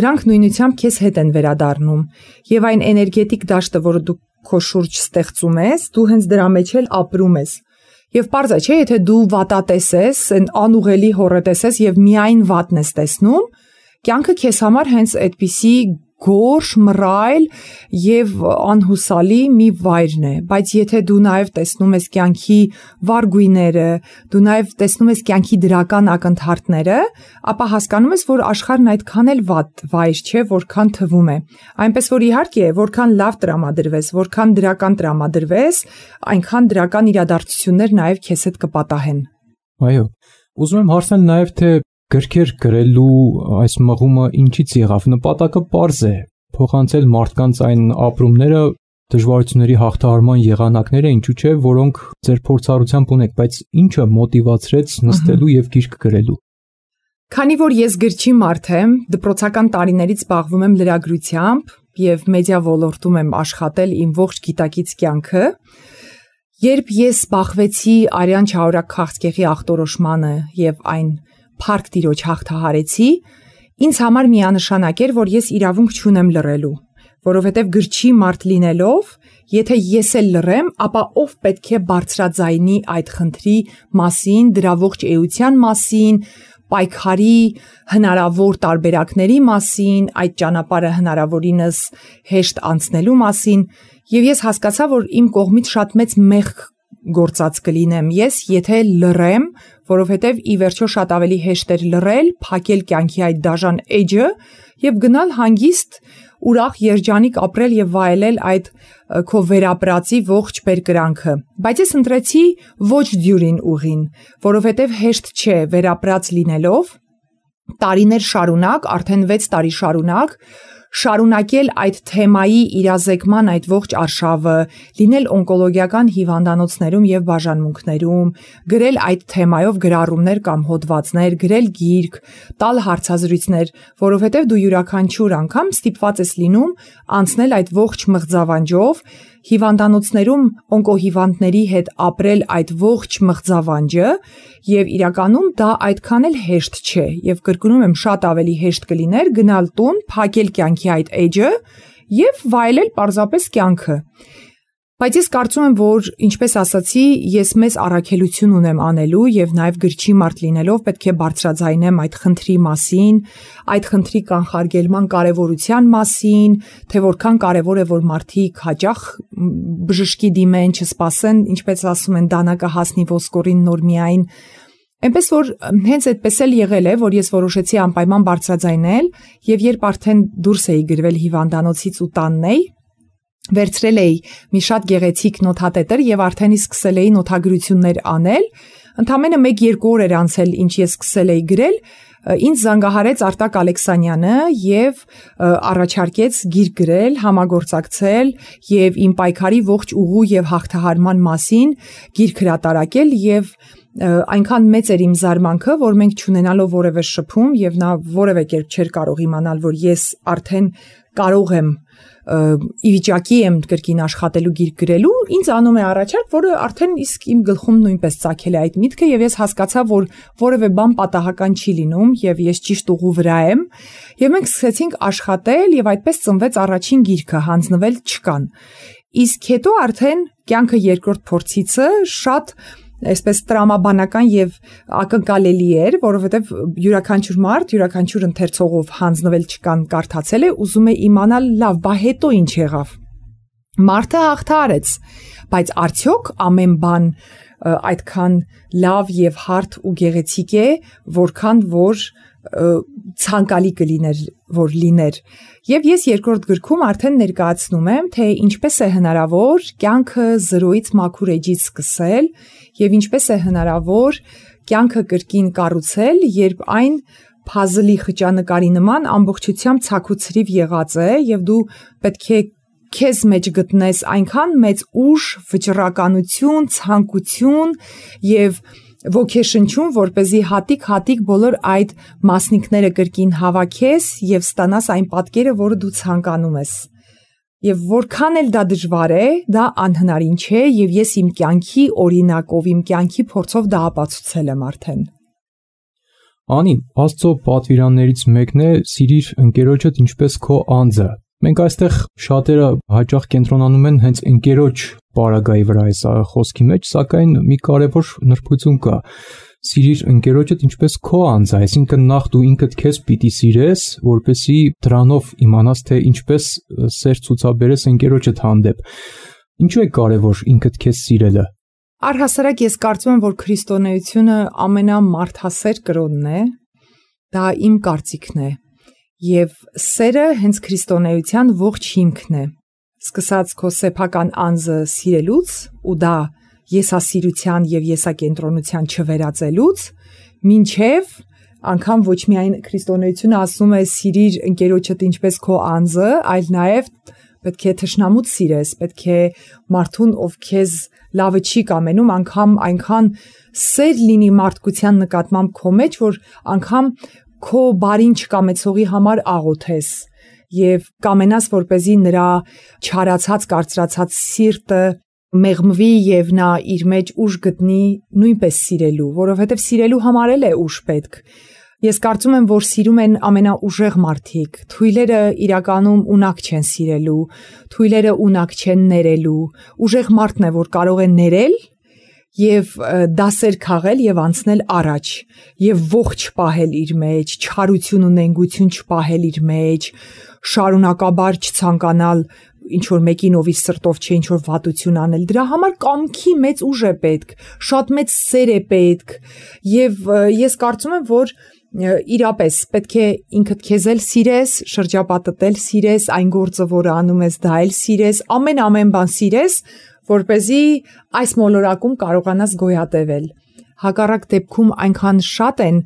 S3: դրանք նույնությամբ քեզ հետ են վերադառնում։ Եվ այն էներգետիկ դաշտը, որը դու քո շուրջ ստեղծում ես, դու հենց դրա մեջ էլ ապրում ես։ Եվ պարզ է, չէ, եթե դու վատատես ես, անուղելի հոռետես ես եւ միայն վատն ես տեսնում, կյանքը քեզ համար հենց այդպիսի գորշ, մռայլ եւ անհուսալի մի վայրն է, բայց եթե դու նաեւ տեսնում ես կյանքի վառ գույները, դու նաեւ տեսնում ես կյանքի դրական ակնթարթները, ապա հասկանում ես, որ աշխարհն այդքան էլ վատ վայր չէ, որքան թվում է։ Այնպես որ իհարկե, որքան լավ տրամադրվես, որքան դրական տրամադրվես, այնքան դրական իրադարձություններ նաեւ քեզ հետ կպատահեն։
S2: Այո, ուզում եմ հարցնել նաեւ թե գրքեր գրելու այս մղումը ինչից եղավ։ Նպատակը պարզ է՝ փոխանցել մարդկանց այն ապրումները, դժվարությունների հաղթահարման եղանակները, ինչու՞ չէ, որոնք ձեր փորձառությամբ ունեք, բայց ինչը մոտիվացրեց նստելու եւ գիրք գրելու։
S3: Քանի որ ես գրչի մարդ եմ, դպրոցական տարիներից զբաղվում եմ լրագրությամբ եւ մեդիա ոլորտում եմ աշխատել իմ ողջ գիտակից կյանքը, երբ ես զբաղվեցի Արյան Չահորակ քաղցկեղի ախտորոշմանը եւ այն փառք Տիրոջ հաղթահարեցի, ինձ համար միանշանակ էր, որ ես իրավունք չունեմ լռելու, որովհետև գրչի մարդ լինելով, եթե ես էլ լռեմ, ապա ով պետք է բարձրաձայնի այդ խնդրի մասին, դրա ողջ էության մասին, պայքարի հնարավոր տարբերակների մասին, այդ ճանապարհը հնարավորինս հեշտ անցնելու մասին, եւ ես հասկացա, որ իմ կողմից շատ մեծ մեղք գործած կլինեմ ես, եթե լռեմ, որովհետև ի վերջո շատ ավելի հեշտ էր լռել, փակել կյանքի այդ դաժան էջը եւ գնալ հանգիստ ուրախ երջանիկ ապրել եւ վայելել այդ քո վերապրածի ողջ բերկրանքը։ Բայց ես ընտրեցի ոչ դյուրին ուղին, որովհետև հեշտ չէ վերապրած լինելով տարիներ շարունակ, արդեն 6 տարի շարունակել այդ թեմայի իրազեկման այդ ողջ արշավը, լինել օնկոլոգիական հիվանդանոցներում եւ բաժանմունքներում, գրել այդ թեմայով գրառումներ կամ հոդվածներ, գրել գիրք, տալ հարցազրույցներ, որովհետեւ դու յուրաքանչյուր անգամ ստիպված ես լինում անցնել այդ ողջ մղձավանջով, հիվանդանոցներում օնկոհիվանդների հետ ապրել այդ ողջ մղձավանջը եւ իրականում դա այդքան էլ հեշտ չէ եւ կրկնում եմ շատ ավելի հեշտ կլիներ գնալ տուն, փակել կյանքի այդ էջը եւ վայելել պարզապես կյանքը։ Բայց ես կարծում եմ, որ ինչպես ասացի, ես մեծ առաքելություն ունեմ անելու եւ նաեւ գրչի մարդ լինելով պետք է բարձրաձայնեմ այդ խնդրի մասին, այդ խնդրի կանխարգելման կարեւորության մասին, թե որքան կարեւոր է որ մարդիկ հաճախ բժշկի դիմեն, չսպասեն, ինչպես ասում են, դանակը հասնի ոսկորին նոր միայն։ Այնպես որ հենց այդպես էլ եղել է, որ ես որոշեցի անպայման բարձրաձայնել եւ երբ արդեն դուրս էի գրվել հիվանդանոցից ու տանն էի, վերցրել էի մի շատ գեղեցիկ նոթատետր եւ արդեն սկսել էի նոթագրություններ անել, ընդամենը 1-2 օր էր անցել, ինչ ես սկսել էի գրել, ինձ զանգահարեց Արտակ Ալեքսանյանը եւ առաջարկեց գիրք գրել, համագործակցել եւ իմ պայքարի ողջ ուղու եւ հաղթահարման մասին գիրք հրատարակել եւ այնքան մեծ էր իմ զարմանքը, որ մենք չունենալով որևէ շփում եւ նա որևէ կերպ չէր կարող իմանալ, որ ես արդեն կարող եմ ի վիճակի եմ կրկին աշխատելու գիրք գրելու, ինձ անում է առաջարկ, որը արդեն իսկ իմ գլխում նույնպես ծագել է այդ միտքը եւ ես հասկացա, որ որևէ բան պատահական չի լինում եւ ես ճիշտ ուղու վրա եմ եւ մենք սկսեցինք աշխատել եւ այդպես ծնվեց առաջին գիրքը Հանձնվել չկան։ Իսկ հետո արդեն կյանքը երկրորդ փորձիցը շատ այսպես տրամաբանական եւ ակնկալելի էր, որովհետեւ յուրաքանչյուր մարդ, յուրաքանչյուր ընթերցողով Հանձնվել չկան կարդացել է, ուզում է իմանալ, լավ, բա հետո ինչ եղավ։ Մարդը հաղթահարեց, բայց արդյոք ամեն բան այդքան լավ եւ հարթ ու գեղեցիկ է, որքան որ ցանկալի կլիներ որ լիներ։ Եվ ես երկրորդ գրքում արդեն ներկայացնում եմ, թե ինչպես է հնարավոր կյանքը զրոյից մաքուր էջից սկսել եւ ինչպես է հնարավոր կյանքը կրկին կառուցել, երբ այն փազլի խճանկարի նման ամբողջությամբ ցաքուցրիվ եղած է եւ դու պետք է քեզ մեջ գտնես այնքան մեծ ուժ, վճռականություն, ցանկություն եւ ոգեշնչում, որպեսզի հատիկ բոլոր այդ մասնիկները կրկին հավաքես եւ ստանաս այն պատկերը, որը դու ցանկանում ես։ Եվ որքան էլ դա դժվար է, դա անհնարին չէ եւ ես իմ կյանքի օրինակով, իմ կյանքի փորձով դա ապացուցել եմ արդեն։
S2: Անի, Աստծո պատվիրաններից մեկն է սիրիր ընկերոջդ ինչպես քո անձը։ Մենք այստեղ շատերը հաճախ կենտրոնանում են հենց ընկերոջ պարագայի վրա այս խոսքի մեջ, սակայն մի կարևոր նրբություն կա։ սիրիր ընկերոջդ ինչպես քո անձը, այսինքն նախ դու ինքդ քեզ պիտի սիրես, որպեսզի դրանով իմանաս թե ինչպես սեր ցուցաբերես ընկերոջդ հանդեպ։ Ինչու է կարևոր ինքդ քեզ սիրելը։
S3: Առհասարակ ես կարծում եմ, որ քրիստոնեությունը ամենամարդասեր կրոնն է, դա իմ կարծիքն է, եւ սերը հենց քրիստոնեության ողջ հիմքն է։ Սկսած քո սեփական անձը սիրելուց ու դա եսասիրության եւ եսակենտրոնության չվերածելուց, մինչեւ անգամ ոչ միայն քրիստոնեությունը ասում է սիրիր ընկերոջդ ինչպես քո անձը, այլ նաեւ պետք է թշնամուդ սիրես, պետք է մարդուն, ով քեզ լավը չի կամենում, անգամ այնքան սեր լինի մարդկության նկատմամբ քո մեջ, որ անգամ քո բարին չկամեցողի համար աղոթես եւ կամենաս, որպեսզի նրա չարացած, կարծրացած սիրտը մեղմվի եւ նա իր մեջ ուժ գտնի նույնպես սիրելու, որովհետեւ սիրելու համար է ուժ պետք։ Ես կարծում եմ, որ սիրում են ամենաուժեղ մարդիկ, թույլերը իրականում ունակ չեն սիրելու, թույլերը ունակ չեն ներելու, ուժեղ մարդն է, որ կարող է ներել եւ դասեր քաղել եւ անցնել առաջ եւ ողջ պահել իր մեջ, չարություն ու նենգություն չպահել իր մեջ, շարունակաբար չցանկանալ ինչ որ մեկին ովի սրտով չէ ինչ որ վատություն անել, դրա համար կամքի մեծ ուժ է պետք, շատ մեծ սեր է պետք եւ ես կարծում եմ, որ իրապես պետք է ինքդ քեզ էլ սիրես, շրջապատդ էլ սիրես, այն գործը, որը անում ես, դա էլ սիրես, ամեն բան սիրես, որպեսզի այս մոլորակում կարողանաս գոյատևել։ Հակառակ դեպքում այնքան շատ են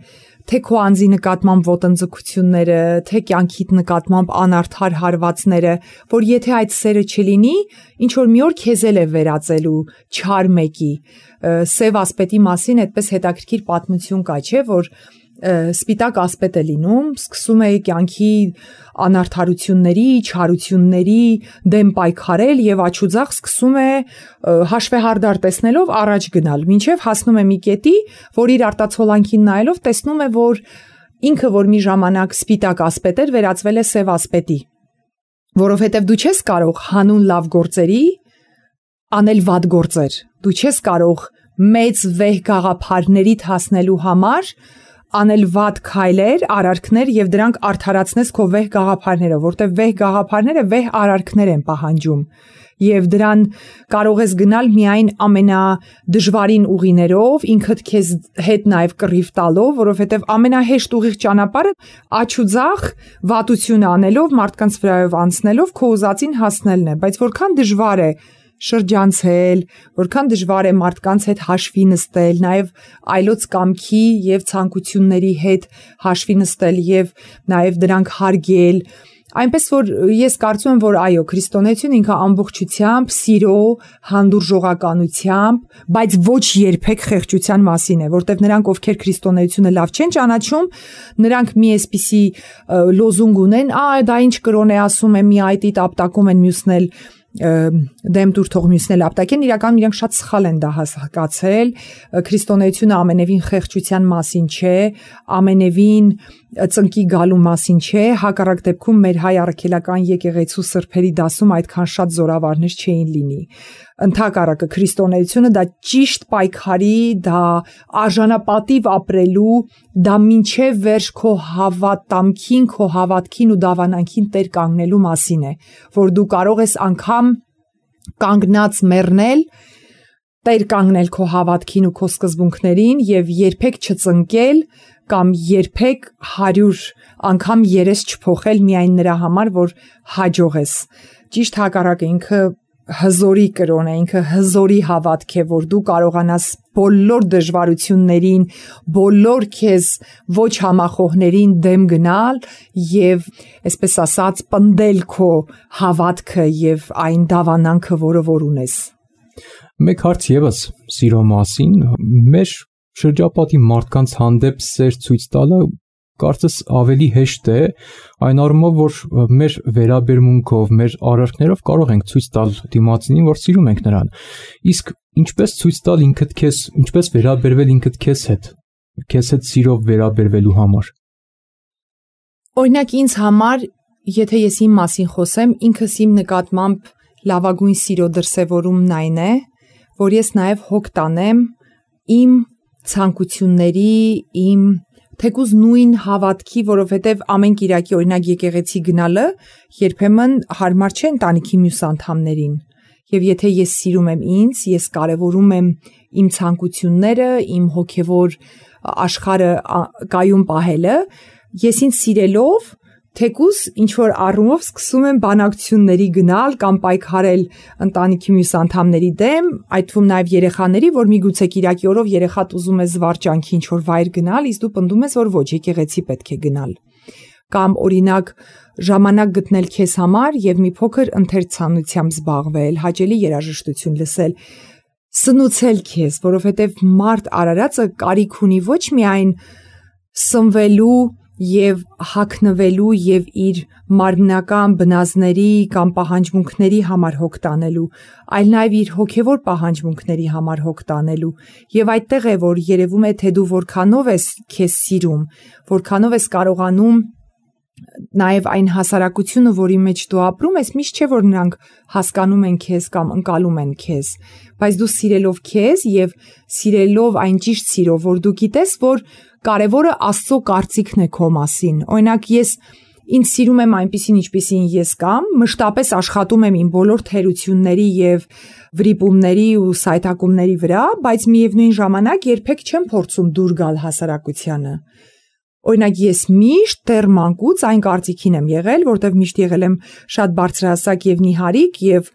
S3: թե քո անձի նկատմամբ ոտնձգությունները, թե կյանքիդ նկատմամբ անարդար հարվածները, որ եթե այդ սերը չլինի, ինչ որ մի օր քեզ էլ է վերածելու չար մեկի։ Սև ասպետի մասին այդպես հետաքրքիր պատմություն կա, չէ, որ սպիտակ ասպետ է լինում, սկսում է կյանքի անարդարությունների, չարությունների դեմ պայքարել եւ աչուձախ սկսում է հաշվեհարդար տեսնելով առաջ գնալ, մինչեւ հասնում է մի կետի, որ իր արտացոլանքին նայելով տեսնում է, որ ինքը, որ մի ժամանակ սպիտակ ասպետ էր, վերածվել է սև ասպետի, որովհետեւ դու չես կարող հանուն լավ գործերի անել վատ գործեր, դու չես կարող մեծ վեհ գաղափարներիդ հասնելու համար անել վատ քայլեր, արարքներ եւ դրանք արդարացնես քո վեհ գաղափարներով, որտեղ վեհ գաղափարները վեհ արարքներ են պահանջում եւ դրան կարող ես գնալ միայն ամենադժվարին ուղիներով, ինքդ քեզ հետ նաեւ կռիվ տալով, որովհետեւ ամենահեշտ ուղիղ ճանապարհը աչուձախ վատություն անելով, մարդկանց վրայով անցնելով քո ուզածին հասնելն է, բայց որքան դժվար է շրջանցել, որքան դժվար է մարդկանց հետ հաշվի նստել, նաև այլոց կամքի եւ ցանկությունների հետ հաշվի նստել եւ նաև դրանք հարգել, այնպես որ ես կարծում եմ, որ այո, քրիստոնեությունը ինքը ամբողջությամբ սիրո, հանդուրժողականությամբ, բայց ոչ երբեք խեղճության մասին է, որտեղ նրանք, ովքեր քրիստոնեությունը լավ չեն ճանաչում, նրանք մի այսպիսի լոզունգ ունեն, դա ինչ կրոն է ասում է, մի այտի տապտակում են մյուսն էլ դեմ դուր թող մյուսնել ապտակեն, իրականում իրանք շատ սխալ են դա հասկացել, քրիստոնեությունը ամենևին խեղճության մասին չէ, ամենևին ծնկի գալու մասին չէ, հակառակ դեպքում մեր հայ առաքելական եկեղեցու սրբերի դասում այդքան շատ զորավարներ չէին լինի, ընդհակառակը քրիստոնեությունը դա ճիշտ պայքարի, դա արժանապատիվ ապրելու, դա մինչև վերջ քո հավատամքին, քո հավատքին ու դավանանքին տեր կանգնելու մասին է, որ դու կարող ես անգամ կանգնած մեռնել, տեր կանգնել քո հավատքին ու քո սկզբունքներին եւ երբեք չծնկել կամ երբեք 100 անգամ երես չփոխել միայն նրա համար, որ հաջող ես։ Ճիշտ հակառակը ինքը հզորի կրոն է, ինքը հզորի հավատք է, որ դու կարողանաս բոլոր դժվարություններին, բոլոր քեզ ոչ համախոհներին դեմ գնալ եւ, այսպես ասած, պնդել քո հավատքը եւ այն դավանանքը, որը որ ունես։
S2: Մեկ հարց եւս սիրո մասին, մեր շրջապատի մարդկանց հանդեպ սեր ցույց տալը կարծես ավելի հեշտ է, այն առումով, որ մեր վերաբերմունքով, մեր արարքներով կարող ենք ցույց տալ դիմացինին, որ սիրում ենք նրան։ Իսկ ինչպես ցույց տալ ինքդ քեզ, ինչպես վերաբերվել ինքդ քեզ հետ սիրով վերաբերվելու համար։
S3: Օրինակ ինձ համար, եթե ես իմ մասին խոսեմ, ինքս իմ նկատմամբ լավագույն սիրո դրսևորումն այն է, որ ես նաև հոգ տանեմ իմ ցանկությունների, իմ թեկուզ նույն հավատքի, որովհետև ամեն Կիրակի օրինակ եկեղեցի գնալը երբեմն հարմար չէ ընտանիքի մյուս անդամներին։ Եվ եթե ես սիրում եմ ինձ, ես կարևորում եմ իմ ցանկությունները, իմ հոգևոր աշխարհը կայուն պահելը, ես ինձ սիրելով թեկուզ ինչ-որ առումով սկսում եմ բանակցությունների գնալ կամ պայքարել ընտանիքի մյուս անդամների դեմ, այդ թվում նաև երեխաների, որ միգուցե Կիրակի օրով երեխատ ուզում է զվարճանքի ինչ-որ վայր գնալ, իսկ դու պնդում ես, որ ոչ, եկեղեցի պետք է գնալ։ Կամ օրինակ ժամանակ գտնել քեզ համար եւ մի փոքր ընթերցանությամբ զբաղվել, հաճելի երաժշտություն լսել, սնուցել քեզ, որովհետեւ մարդ արարածը կարիք ունի ոչ միայն սնվելու եւ հագնվելու եւ իր մարմնական բնազների կամ պահանջմունքների համար հոգ տանելու, այլ նաեւ իր հոգեվոր պահանջմունքների համար հոգ տանելու։ Եվ այդտեղ է, որ երևում է, թե դու որքանով ես քեզ սիրում, որքանով ես կարողանում նաև այն հասարակությունը, որի մեջ դու ապրում ես, միշտ չէ, որ նրանք հասկանում են քեզ կամ ընկալում են քեզ, բայց դու սիրելով քեզ եւ սիրելով այն ճիշտ սիրով, որ դու գիտես, որ կարևորը Աստծո կարծիքն է քո մասին։ Օրինակ ես ինձ սիրում եմ այնպիսին, ինչպիսին ես կամ, մշտապես աշխատում եմ իմ բոլոր թերությունների եւ վրիպումների ու սայթակումների վրա, բայց միևնույն ժամանակ երբեք չեմ փորձում դուր գալ հասարակությանը։ Օրինակ ես միշտ դեռ մանկուց այն կարծիքին եմ եղել, որտեղ միշտ եղել եմ շատ բարձրահասակ եւ նիհարիկ եւ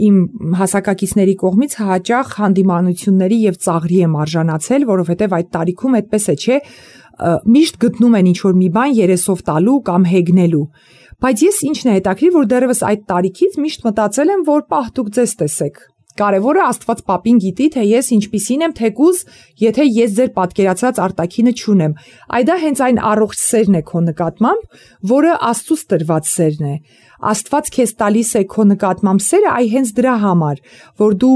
S3: իմ հասակակիցների կողմից հաճախ հանդիմանությունների եւ ծաղրի եմ արժանացել, որովհետեւ այդ տարիքում այդպես է, չէ, միշտ գտնում են ինչ-որ մի բան երեսով տալու կամ հեգնելու։ Բայց ես ինչն է հետաքրքիր, որ դեռևս այդ տարիքից միշտ մտածել եմ, որ պահ դուք ձեզ տեսեք։ Կարևորը Աստված պապին գիտի, թե ես ինչպիսին եմ, թեկուզ, եթե ես ձեր պատկերացրած արտաքինը չունեմ։ Այ դա հենց այն առողջ սերն է քո նկատմամբ, որը Աստծուց տրված սերն է։ Աստված քեզ տալիս է քո նկատմամբ սերը, այ հենց դրա համար, որ դու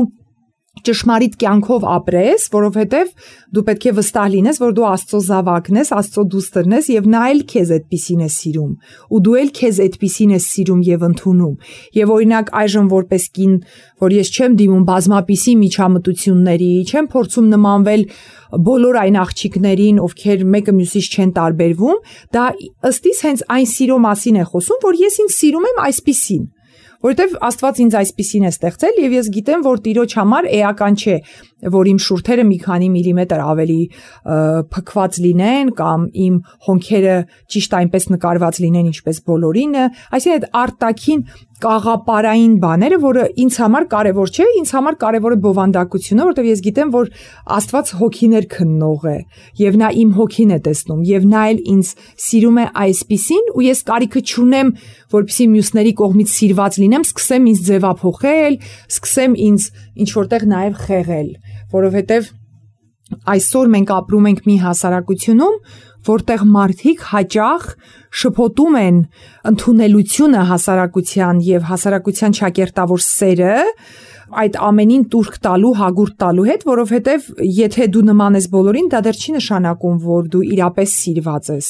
S3: ճշմարիտ կյանքով ապրես, որովհետև դու պետք է վստահ լինես, որ դու Աստծո զավակն ես, Աստծո դուստրն ես եւ նա էլ քեզ այդպիսին է սիրում, ու դու էլ քեզ այդպիսին ես սիրում եւ ընդունում։ Եվ օրինակ այժմ որպես կին, որ ես չեմ դիմում բազմապիսի միջամտությունների, չեմ փորձում նմանվել բոլոր այն աղջիկներին, ովքեր մեկը մյուսից չեն տարբերվում, դա ըստ իս հենց այն սիրո մասին է խոսում, որ ես ինձ սիրում եմ այսպիսին։ Որովհետև Աստված ինձ այսպիսին է ստեղծել եւ ես գիտեմ, որ Տիրոջ համար էական չէ, որ իմ շուրթերը մի քանի միլիմետր ավելի փքված լինեն կամ իմ հոնքերը ճիշտ այնպես նկարված լինեն, ինչպես բոլորինը, այսինքն այդ արտաքին կաղապարային բաները, որը ինձ համար կարևոր չէ, ինձ համար կարևոր է բովանդակությունը, որովհետև ես գիտեմ, որ Աստված հոգիներ քննող է եւ նա իմ հոգին է տեսնում եւ նա էլ ինձ սիրում է այսպիսին ու ես կարիքը չունեմ, որպեսզի մյուսների կողմից սիրված լինեմ, սկսեմ ինձ ձևափոխել, սկսեմ ինձ ինչ որտեղ նաեւ խեղել, որովհետև այսօր մենք ապրում ենք մի հասարակությունում, որտեղ մարդիկ հաճախ շփոթում են ընդունելությունը հասարակության եւ հասարակության ճակերտավոր սերը այդ ամենին տուրք տալու, հագուրտ տալու հետ, որովհետեւ եթե դու նման ես բոլորին, դա դեռ չի նշանակում, որ դու իրապես սիրված ես։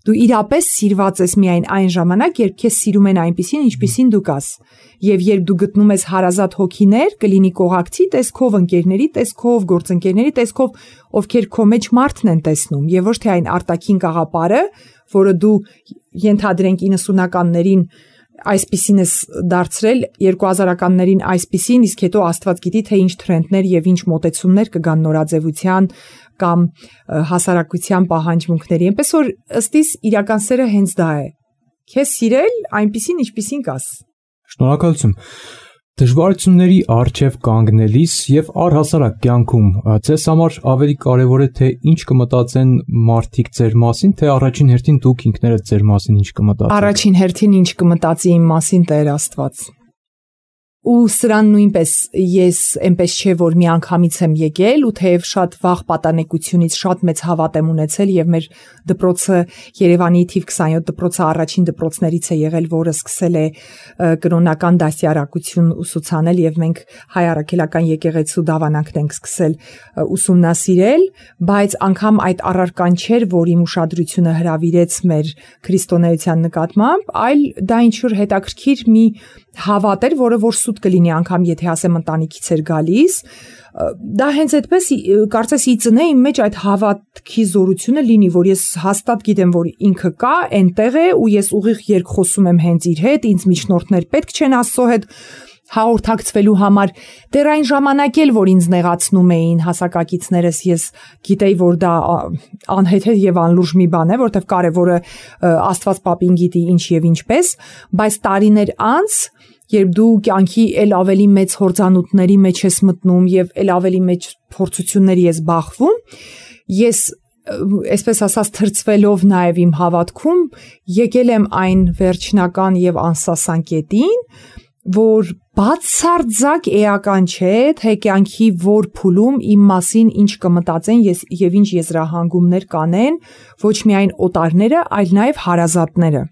S3: Դու իրապես սիրված ես միայն այն ժամանակ, երբ քեզ սիրում են այնպիսին, ինչպիսին դու կաս։ Եվ երբ դու գտնում ես հարազատ հոգիներ, կլինի կողակցի տեսքով, ընկերների տեսքով, գործընկերների տեսքով, ովքեր քո մեջ մարդն են տեսնում, եւ ոչ թե այն արտաքին կաղապարը, որը դու ենթադրենք 90-ականներին այսպիսին ես դարձրել, 2000-ականներին այսպիսին, իսկ հետո Աստված գիտի, թե ինչ թրենդներ եւ ինչ մոտեցումներ կգան նորաձևության կամ հասարակության պահանջմունքների։ Այնպես որ ըստ իս իրական սերը հենց դա է։ Քեզ սիրել այնպիսին, ինչպիսին կաս։
S2: Շնորհակալություն։ Դժվարությունների առջև կանգնելիս եւ առհասարակ կյանքում ձեզ համար ավելի կարեւոր է թե ինչ կմտածեն մարդիկ ձեր մասին, թե առաջին հերթին դուք ինքներդ ձեր մասին ինչ կմտածեք։
S3: Առաջին հերթին ինչ կմտածի իմ մասին Տեր Աստված։ Ու սրան նույնպես ես այնպես չէ, որ մի անգամից եմ եկել ու թեև շատ վաղ պատանեկությունից շատ մեծ հավատ եմ ունեցել եւ մեր դպրոցը Երևանի թիվ 27 դպրոցը առաջին դպրոցներից է եղել, որը սկսել է կրոնական դասյարակություն ուսուցանել եւ մենք հայ առաքելական եկեղեցու դավանանքն ենք սկսել ուսումնասիրել, բայց անգամ այդ առարկան չէր, որ իմ ուշադրությունը հրավիրեց մեր քրիստոնեության նկատմամբ, այլ դա ինչ որ հետաքրքիր մի հավատ էր, որը որ շուտ կլինի անգամ եթե ասեմ ընտանիքից էր գալիս, դա հենց այդպես կարծես ի ծնե իմ մեջ այդ հավատքի զորությունը լինի, որ ես հաստատ գիտեմ, որ ինքը կա, այնտեղ է ու ես ուղիղ երկխոսում եմ հենց իր հետ, ինձ միջնորդներ պետք չեն Աստծո հետ հաղորդակցվելու համար, դեռ այն ժամանակ էլ, որ ինձ նեղացնում էին հասակակիցներս, ես գիտեի, որ դա անհեթեթ եւ անլուրջ մի բան է, որտեվ կարևորը Աստված պապին գիտի ինչ եւ ինչպես, բայց տարիներ անց, երբ դու կյանքի էլ ավելի մեծ հորձանուտների մեջ ես մտնում եւ էլ ավելի մեծ փորձությունների ես բախվում, ես այսպես ասած թրծվելով նաեւ իմ հավատքում եկել եմ այն վերջնական եւ անսասան կետին, որ բացարձակ էական չէ, թե կյանքի որ փուլում իմ մասին ինչ կմտածեն եւ ինչ եզրահանգումներ կանեն, ոչ միայն օտարները, այլ նաեւ հարազատները,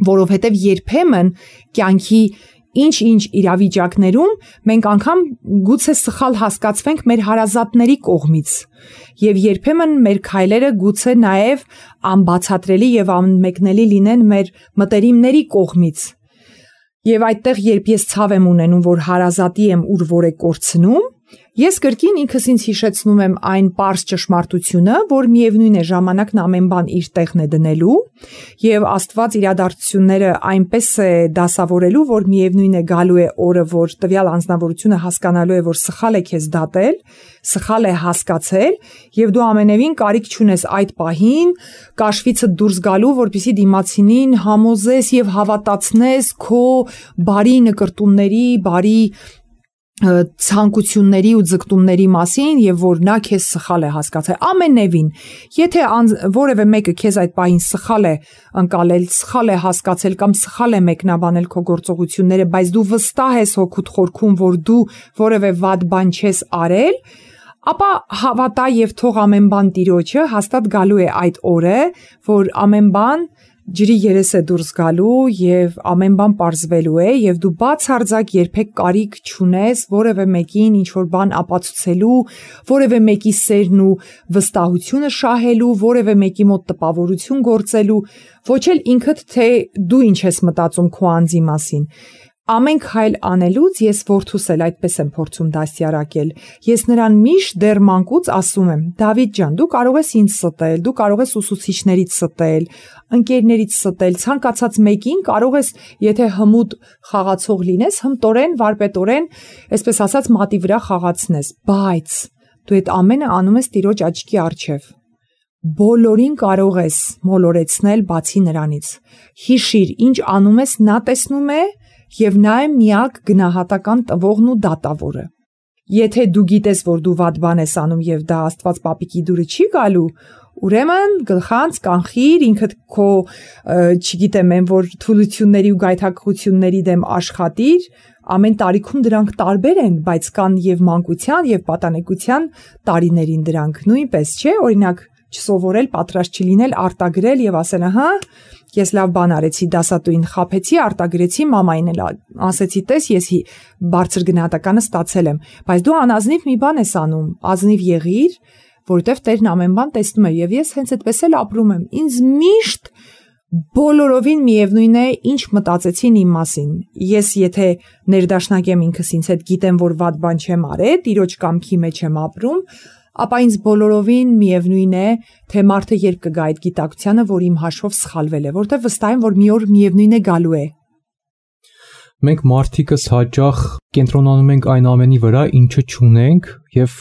S3: որովհետեւ երբեմն կյանքի ինչ-ինչ իրավիճակներում մենք անգամ գուցե սխալ հասկացվենք մեր հարազատների կողմից եւ երբեմն մեր քայլերը գուցե նաեւ անբացատրելի եւ անմեկնելի լինեն մեր մտերիմների կողմից Եվ այդտեղ երբ ես ցավ եմ ունենում, որ հարազատի եմ ուր որ է կորցնում, ես կրկին ինքս ինձ հիշեցնում եմ այն պարզ ճշմարտությունը, որ միևնույն է ժամանակն ամեն բան իր տեղն է դնելու, եւ Աստված իրադարձությունները այնպես է դասավորելու, որ միևնույն է գալու է օրը, որ տվյալ անձնավորությունը հասկանալու է, որ սխալ է քեզ դատել, սխալ է հասկացել, եւ դու ամենևին կարիք չունես այդ պահին կաշվիցը դուրս գալու, որպեսզի դիմացինին համոզես եւ հավատացնես քո բարի նկրտումների, բարի ցանկությունների ու ձգտումների մասին եւ որ նա քեզ սխալ է հասկացել ամենևին եթե որևէ մեկը քեզ այդ պահին սխալ է ընկալել սխալ է հասկացել կամ սխալ է մեկնաբանել քո գործողությունները բայց դու վստահ ես հոգուտ խորքում որ դու որևէ վատ բան չես արել ապա հավատա եւ թող ամեն բան Տիրոջը հաստատ գալու է այդ օրը որ ամեն բան ջրի երես է դուրս գալու եւ ամեն բան պարզվելու է եւ դու բացարձակ երբեք կարիք չունես որևէ մեկին ինչ որ բան ապացուցելու, որևէ մեկի սերն ու վստահությունը շահելու, որևէ մեկի մոտ տպավորություն գործելու, ոչ էլ ինքդ թե դու ինչ ես մտածում քո անձի մասին։ Ամեն քայլ անելուց ես որդուս էլ այդպես եմ փորձում դաստիարակել։ Ես նրան միշտ դեռ մանկուց ասում եմ. Դավիթ ջան, դու կարող ես ինձ ստել, դու կարող ես ուսուցիչներից ստել, ընկերներից ստել, ցանկացած մեկին կարող ես, եթե հմուտ խաղացող լինես, հմտորեն, վարպետորեն, այսպես ասած, մատի վրա խաղացնես, բայց դու այդ ամենը անում ես Տիրոջ աչքի առջև։ Բոլորին կարող ես մոլորեցնել բացի նրանից։ Հիշիր, ինչ անում ես, նա տեսնում է Եվ նա է միակ գնահատական տվողն ու դատավորը։ Եթե դու գիտես, որ դու վատ բան ես անում եւ դա Աստված պապիկի դուրը չի գալու, ուրեմն գլխանց կանխիր ինքդ քո, չգիտեմ, այն որ թուլությունների ու գայթակղությունների դեմ աշխատիր, ամեն տարիքում դրանք տարբեր են, բայց կան եւ մանկության եւ պատանեկության տարիներին դրանք նույնպես, չէ՞, օրինակ չսովորել, պատրաստ չլինել, արտագրել եւ ասել, ահա, ես լավ բան արեցի, դասատուին խաբեցի, արտագրեցի, մամային էլ ասեցի, տես, ես բարձր գնահատականը ստացել եմ, բայց դու անազնիվ մի բան ես անում, ազնիվ եղիր, որովհետեւ Տերն ամեն բան տեսնում է եւ ես հենց այդպես էլ ապրում եմ։ Ինձ միշտ բոլորովին միևնույն է, ինչ մտածեցին իմ մասին։ Ես եթե ներդաշնակեմ ինքս ինձ հետ գիտեմ, որ վատ բան չեմ արել, Տիրոջ կամքի մեջ եմ ապրում, ապա ինձ բոլորովին միևնույն է, թե մարդը երբ կգա այդ գիտակցությանը, որ իմ հաշվով սխալվել է, որտեղ վստահ եմ, որ մի օր միևնույն է գալու է։
S2: Մենք մարդիկս հաճախ կենտրոնանում ենք այն ամենի վրա, ինչը չունենք, եւ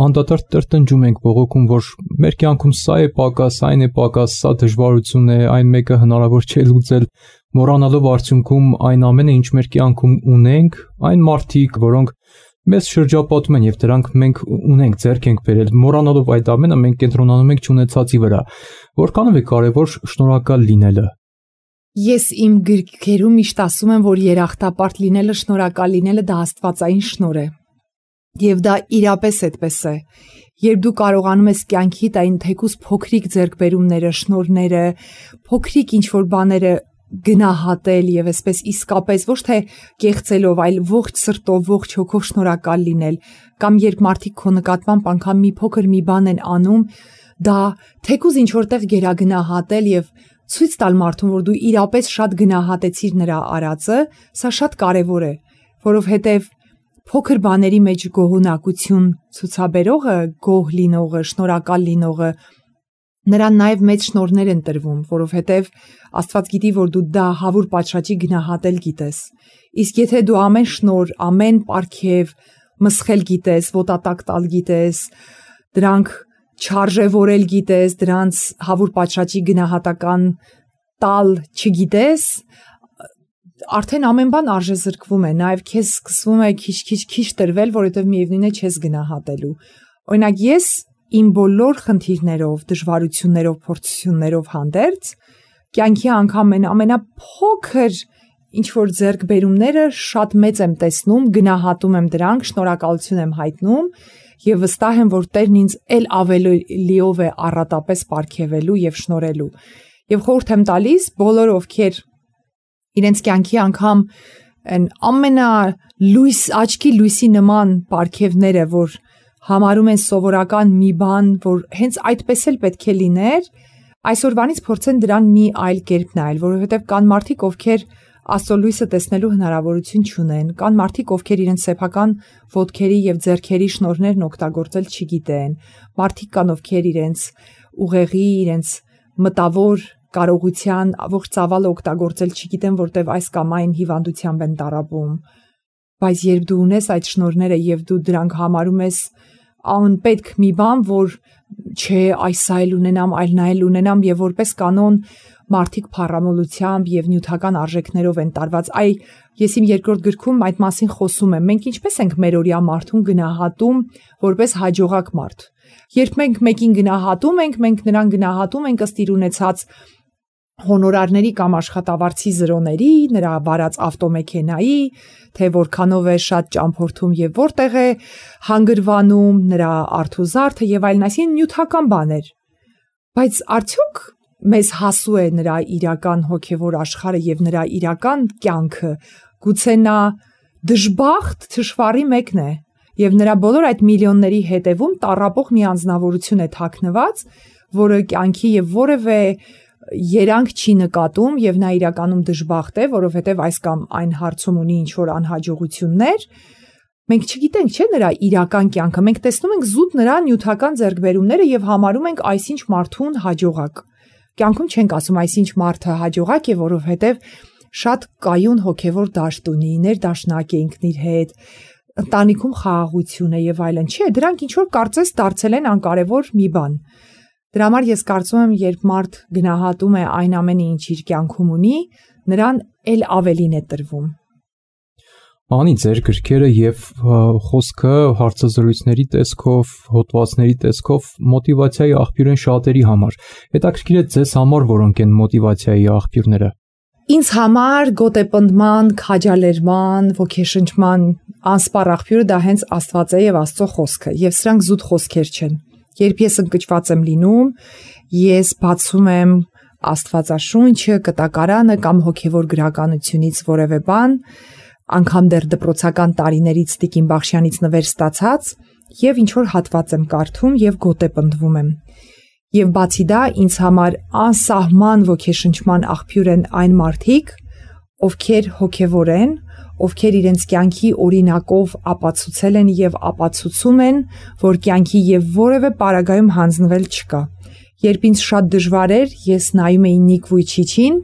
S2: անդադար տրտնջում ենք բողոքում, որ մեր կյանքում սա է պակաս, այն է պակաս, սա դժվարություն է, այն մեկը հնարավոր չէ լուծել, մոռանալով արդյունքում այն ամենը, ինչ մեր կյանքում ունենք, այն մարդիկ, որոնք մեզ շրջապատում են եւ դրանք մենք ունենք, ձեռք ենք բերել, մոռանալով այդ ամենը մենք կենտրոնանում ենք չունեցածի վրա։ Որքանով է կարեւոր շնորհակալ լինելը։
S3: Ես իմ գրքերում միշտ ասում եմ, որ երախտապարտ լինելը, շնորհակալ լինելը դա աստվածային շնորհ է։ Եվ դա իրապես այդպես է։ Երբ դու կարողանում ես կյանքիդ այն թեկուզ փոքրիկ ձեռքբերումները, շնորհները, փոքրիկ ինչ-որ բաները գնահատել եւ այսպես իսկապես ոչ թե կեղծելով, այլ ողջ սրտով, ողջ հոգով շնորհակալ լինել, կամ երբ մարդիկ քո նկատմամբ անգամ մի փոքր մի բան են անում, դա թեկուզ ինչ որտեղ գերագնահատել եւ ցույց տալ մարդուն, որ դու իրապես շատ գնահատեցիր նրա արածը, սա շատ կարեւոր է, որովհետև փոքր բաների մեջ գոհունակություն ցուցաբերողը, գոհ լինողը, շնորհակալ լինողը նրան նաև մեծ շնորհներ են տրվում, որովհետև Աստված գիտի, որ դու դա հավուր պատշաճի գնահատել գիտես։ Իսկ եթե դու ամեն շնորհ, ամեն պարգև մսխել գիտես, ոտատակ տալ գիտես, դրանք չարժևորել գիտես, դրանց հավուր պատշաճի գնահատական տալ չգիտես, արդեն ամեն բան արժեզրկվում է, նաև քեզ սկսվում է քիչ տրվել, որովհետև միևնույն է չես գնահատելու։ Օրինակ ես իմ բոլոր խնդիրներով, դժվարություններով, փորձություններով հանդերձ կյանքի անգամ ամենափոքր ինչ որ ձեռքբերումները շատ մեծ եմ տեսնում, գնահատում եմ դրանք, շնորհակալություն եմ հայտնում եւ վստահ եմ, որ Տերն ինձ ել ավելիով է առատապես պարգևելու եւ շնորհելու։ Եվ խորհուրդ եմ տալիս բոլոր ովքեր իրենց կյանքի անգամ այն ամենալույս աչքի լույսի նման պարգևները, որ համարում են սովորական մի բան, որ հենց այդպես էլ պետք է լիներ, այսօրվանից փորձեն դրան մի այլ կերպ նայել, որովհետև կան մարդիկ, ովքեր Աստծո լույսը տեսնելու հնարավորություն չունեն, կան մարդիկ, ովքեր իրենց սեփական ոտքերի եւ ձեռքերի շնորհներն օգտագործել չգիտեն, մարդիկ կան, ովքեր իրենց ուղեղի, իրենց մտավոր կարողության ողջ ծավալը օգտագործել չգիտեն, որտեվ այս կամ այն հիվանդությամբ են տառապում, բայց երբ դու ունես այդ շնորհները եւ դու դրանք համարում ես անպետք մի բան, որ չէ, այս այլ ունենամ, այլ նայել ունենամ եւ որպես կանոն մարդիկ փառամոլությամբ եւ նյութական արժեքներով են տարված։ Ես իմ երկրորդ գրքում այդ մասին խոսում եմ։ Մենք ինչպես ենք մեր օրյա մարդուն գնահատում որպես հաջողակ մարդ։ Երբ մենք մեկին գնահատում ենք, մենք նրան գնահատում ենք ըստ իր ունեցած հոնորարների կամ աշխատավարձի զրոների, նրա վարած ավտոմեքենայի, թե որքանով է շատ ճամփորդում եւ որտեղ է հանգրվանում, նրա արթուզարդը եւ այլն, այսինքն նյութական բաներ։ Բայց արդյոք մեզ հասու է նրա իրական հոգևոր աշխարհը եւ նրա իրական կյանքը, գուցե նա դժբախտ թշվառի մեկն է եւ նրա բոլոր այդ միլիոնների հետևում տառապող մի անձնավորություն է թաքնված, որը կյանքի եւ որևէ երանգ չի նկատում եւ նա իրականում դժբախտ է, որովհետեւ այս կամ այն հարցում ունի ինչ որ անհաջողություններ։ Մենք չգիտենք, չէ, նրա իրական կյանքը, մենք տեսնում ենք զուտ նրա նյութական ձեռքբերումները եւ համարում ենք այսինչ մարդուն հաջողակ։ Կյանքում չենք ասում այսինչ մարդը հաջողակ է, որովհետև շատ կայուն հոգևոր դաշտ ունի, ներդաշնակ է ինքն իր հետ, ընտանիքում խաղաղություն է եւ այլն։ Չէ, դրանք ինչ որ կարծես դարձել են անկարևոր մի բան։ Դրա համար ես կարծում եմ, երբ մարդ գնահատում է այն ամենը, ինչ իր կյանքում ունի, նրան ել ավելին է տրվում։
S2: Անի ձեր գրքերը եւ խոսքը հարցազրույցների տեսքով, հոդվածների տեսքով մոտիվացիայի աղբյուր են շատերի համար։ Հետաքրքիր է ձեզ համար որոնք են մոտիվացիայի աղբյուրները։
S3: Ինձ համար գոտեպնդման, քաջալերման, ոգեշնչման անսպառ աղբյուրը դա հենց Աստված է եւ Աստծո խոսքը, եւ սրանք զուտ խոսքեր չեն։ Երբ ես ընկճված եմ լինում, ես բացում եմ Աստվածաշունչը, կտակարանը կամ հոգևոր գրականությունից որևէ բան, անգամ դեռ դպրոցական տարիներից Տիկին Բախշյանից նվեր ստացած եւ ինչ որ հատված եմ կարդում եւ գոտեպնդվում եմ։ Եվ բացի դա ինձ համար անսահման ոգեշնչման աղբյուր են այն մարդիկ, ովքեր հոգևոր են, ովքեր իրենց կյանքի օրինակով ապացուցել են եւ ապացուցում են, որ կյանքի եւ որևէ պարագայում հանձնվել չկա։ Երբ ինձ շատ դժվար էր, ես նայում էի Նիկ Վույչիչին,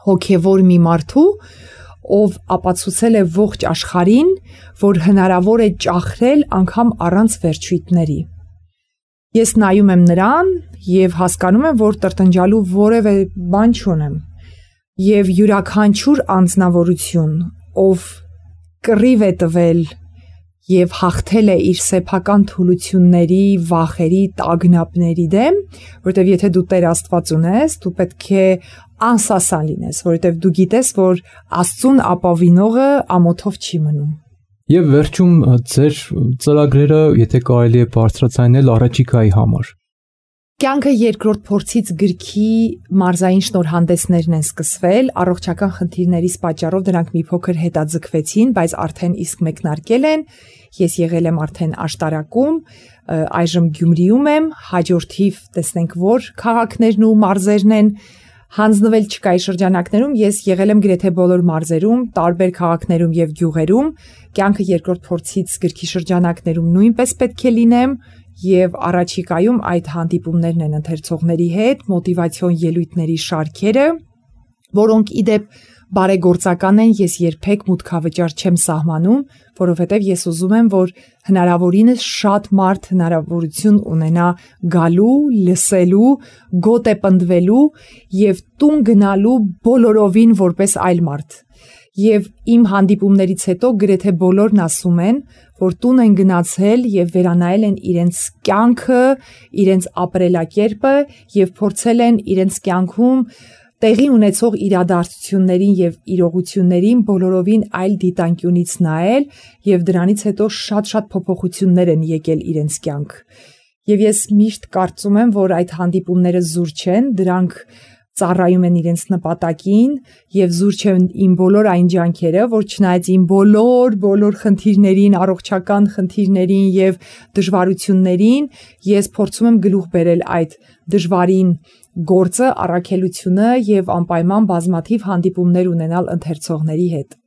S3: հոգևոր մի մարդու, ով ապացուցել է ողջ աշխարհին, որ հնարավոր է ճախրել անգամ առանց վերջույթների։ Ես նայում եմ նրան եւ հասկանում եմ, որ տրտնջալու որևէ բան չունեմ։ Եվ յուրաքանչյուր անձնավորություն, ով կռիվ է տվել եւ հաղթել է իր սեփական թուլությունների, վախերի, տագնապների դեմ, որովհետեւ եթե դու Տեր Աստված ունես, դու պետք է անսասան լինես, որովհետեւ դու գիտես, որ Աստծուն ապավինողը ամոթով չի մնում։
S2: Եվ վերջում ձեր ծրագրերը, եթե կարելի է բարձրացնել առաջիկայի համար։
S3: Կյանքը երկրորդ փորձից գրքի մարզային շնորհանդեսներն են սկսվել, առողջական խնդիրներից պատճառով դրանք մի փոքր հետաձգվեցին, բայց արդեն իսկ մեկնարկել են։ Ես եղել եմ արդեն աշտարակում, այժմ Գյումրիում եմ, հաջորդիվ տեսնենք որ քաղաքներն ու մարզերն են, Հանձնվել չկայի շրջանակներում ես եղել եմ գրեթե բոլոր մարզերում, տարբեր քաղաքներում եւ գյուղերում, կյանքը երկրորդ փորձից գրքի շրջանակներում նույնպես պետք է լինեմ եւ առաջիկայում այդ հանդիպումներն են ընթերցողների հետ, մոտիվացիոն ելույթների շարքերը, որոնք իդեպ բարեգործական են, ես երբեք մուտքավճար չեմ սահմանում, որովհետև ես ուզում եմ, որ հնարավորինս շատ մարդ հնարավորություն ունենա գալու, լսելու, գոտե պնդվելու եւ տուն գնալու բոլորովին որպես այլ մարդ։ Եվ իմ հանդիպումներից հետո գրեթե բոլորն ասում են, որ տուն են գնացել եւ վերանայել են իրենց կյանքը, իրենց ապրելակերպը եւ փորձել են իրենց կյանքում տեղի ունեցող իրադարձություններին եւ իրողություններին բոլորովին այլ դիտանկյունից նայել եւ դրանից հետո շատ փոփոխություններ են եկել իրենց կյանք։ Եվ ես միշտ կարծում եմ, որ այդ հանդիպումները զուր չեն, դրանք ծառայում են իրենց նպատակին եւ զուր չեն իմ բոլոր այն ջանքերը, որ չնայած իմ բոլոր խնդիրներին, առողջական խնդիրներին եւ դժվարություններին, ես փորձում եմ գլուխ բերել այդ դժվարին գործը, առաքելությունը եւ անպայման բազմաթիվ հանդիպումներ ունենալ ընթերցողների հետ։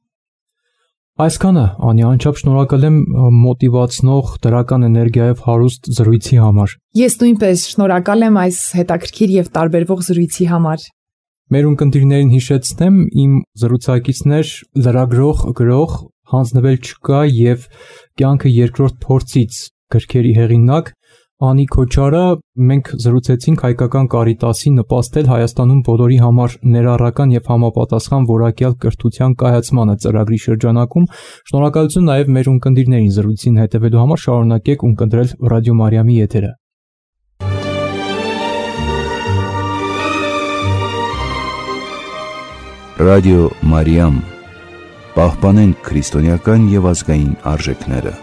S2: Այսքանը, Անյա, անչափ շնորհակալ եմ մոտիվացնող դրական էներգիայով հարուստ զրույցի համար։
S3: Ես նույնպես շնորհակալ եմ այս հետաքրքիր եւ տարբերվող զրույցի համար։
S2: Մեր ունկնդիրներին հիշեցնեմ, իմ զրուցակիցներ լրագրող, գրող, հանձնվել չկա եւ կյանքը երկրորդ փորձից գրքերի հեղինակ Անի Քոչարը, մենք զրուցեցինք հայկական Կարիտասի նպաստել Հայաստանում բոլորի համար ներառական եւ համապատասխան որակյալ կրթության կայացմանը ծրագրի շրջանակում։ Շնորհակալություն նաեւ մեր ունկնդիրներին զրույցին հետևելու համար, շարունակեք ունկնդրել Ռադիո Մարիամի եթերը։
S1: Ռադիո Մարիամ, պահպանենք քրիստոնեական եւ ազգային արժեքները։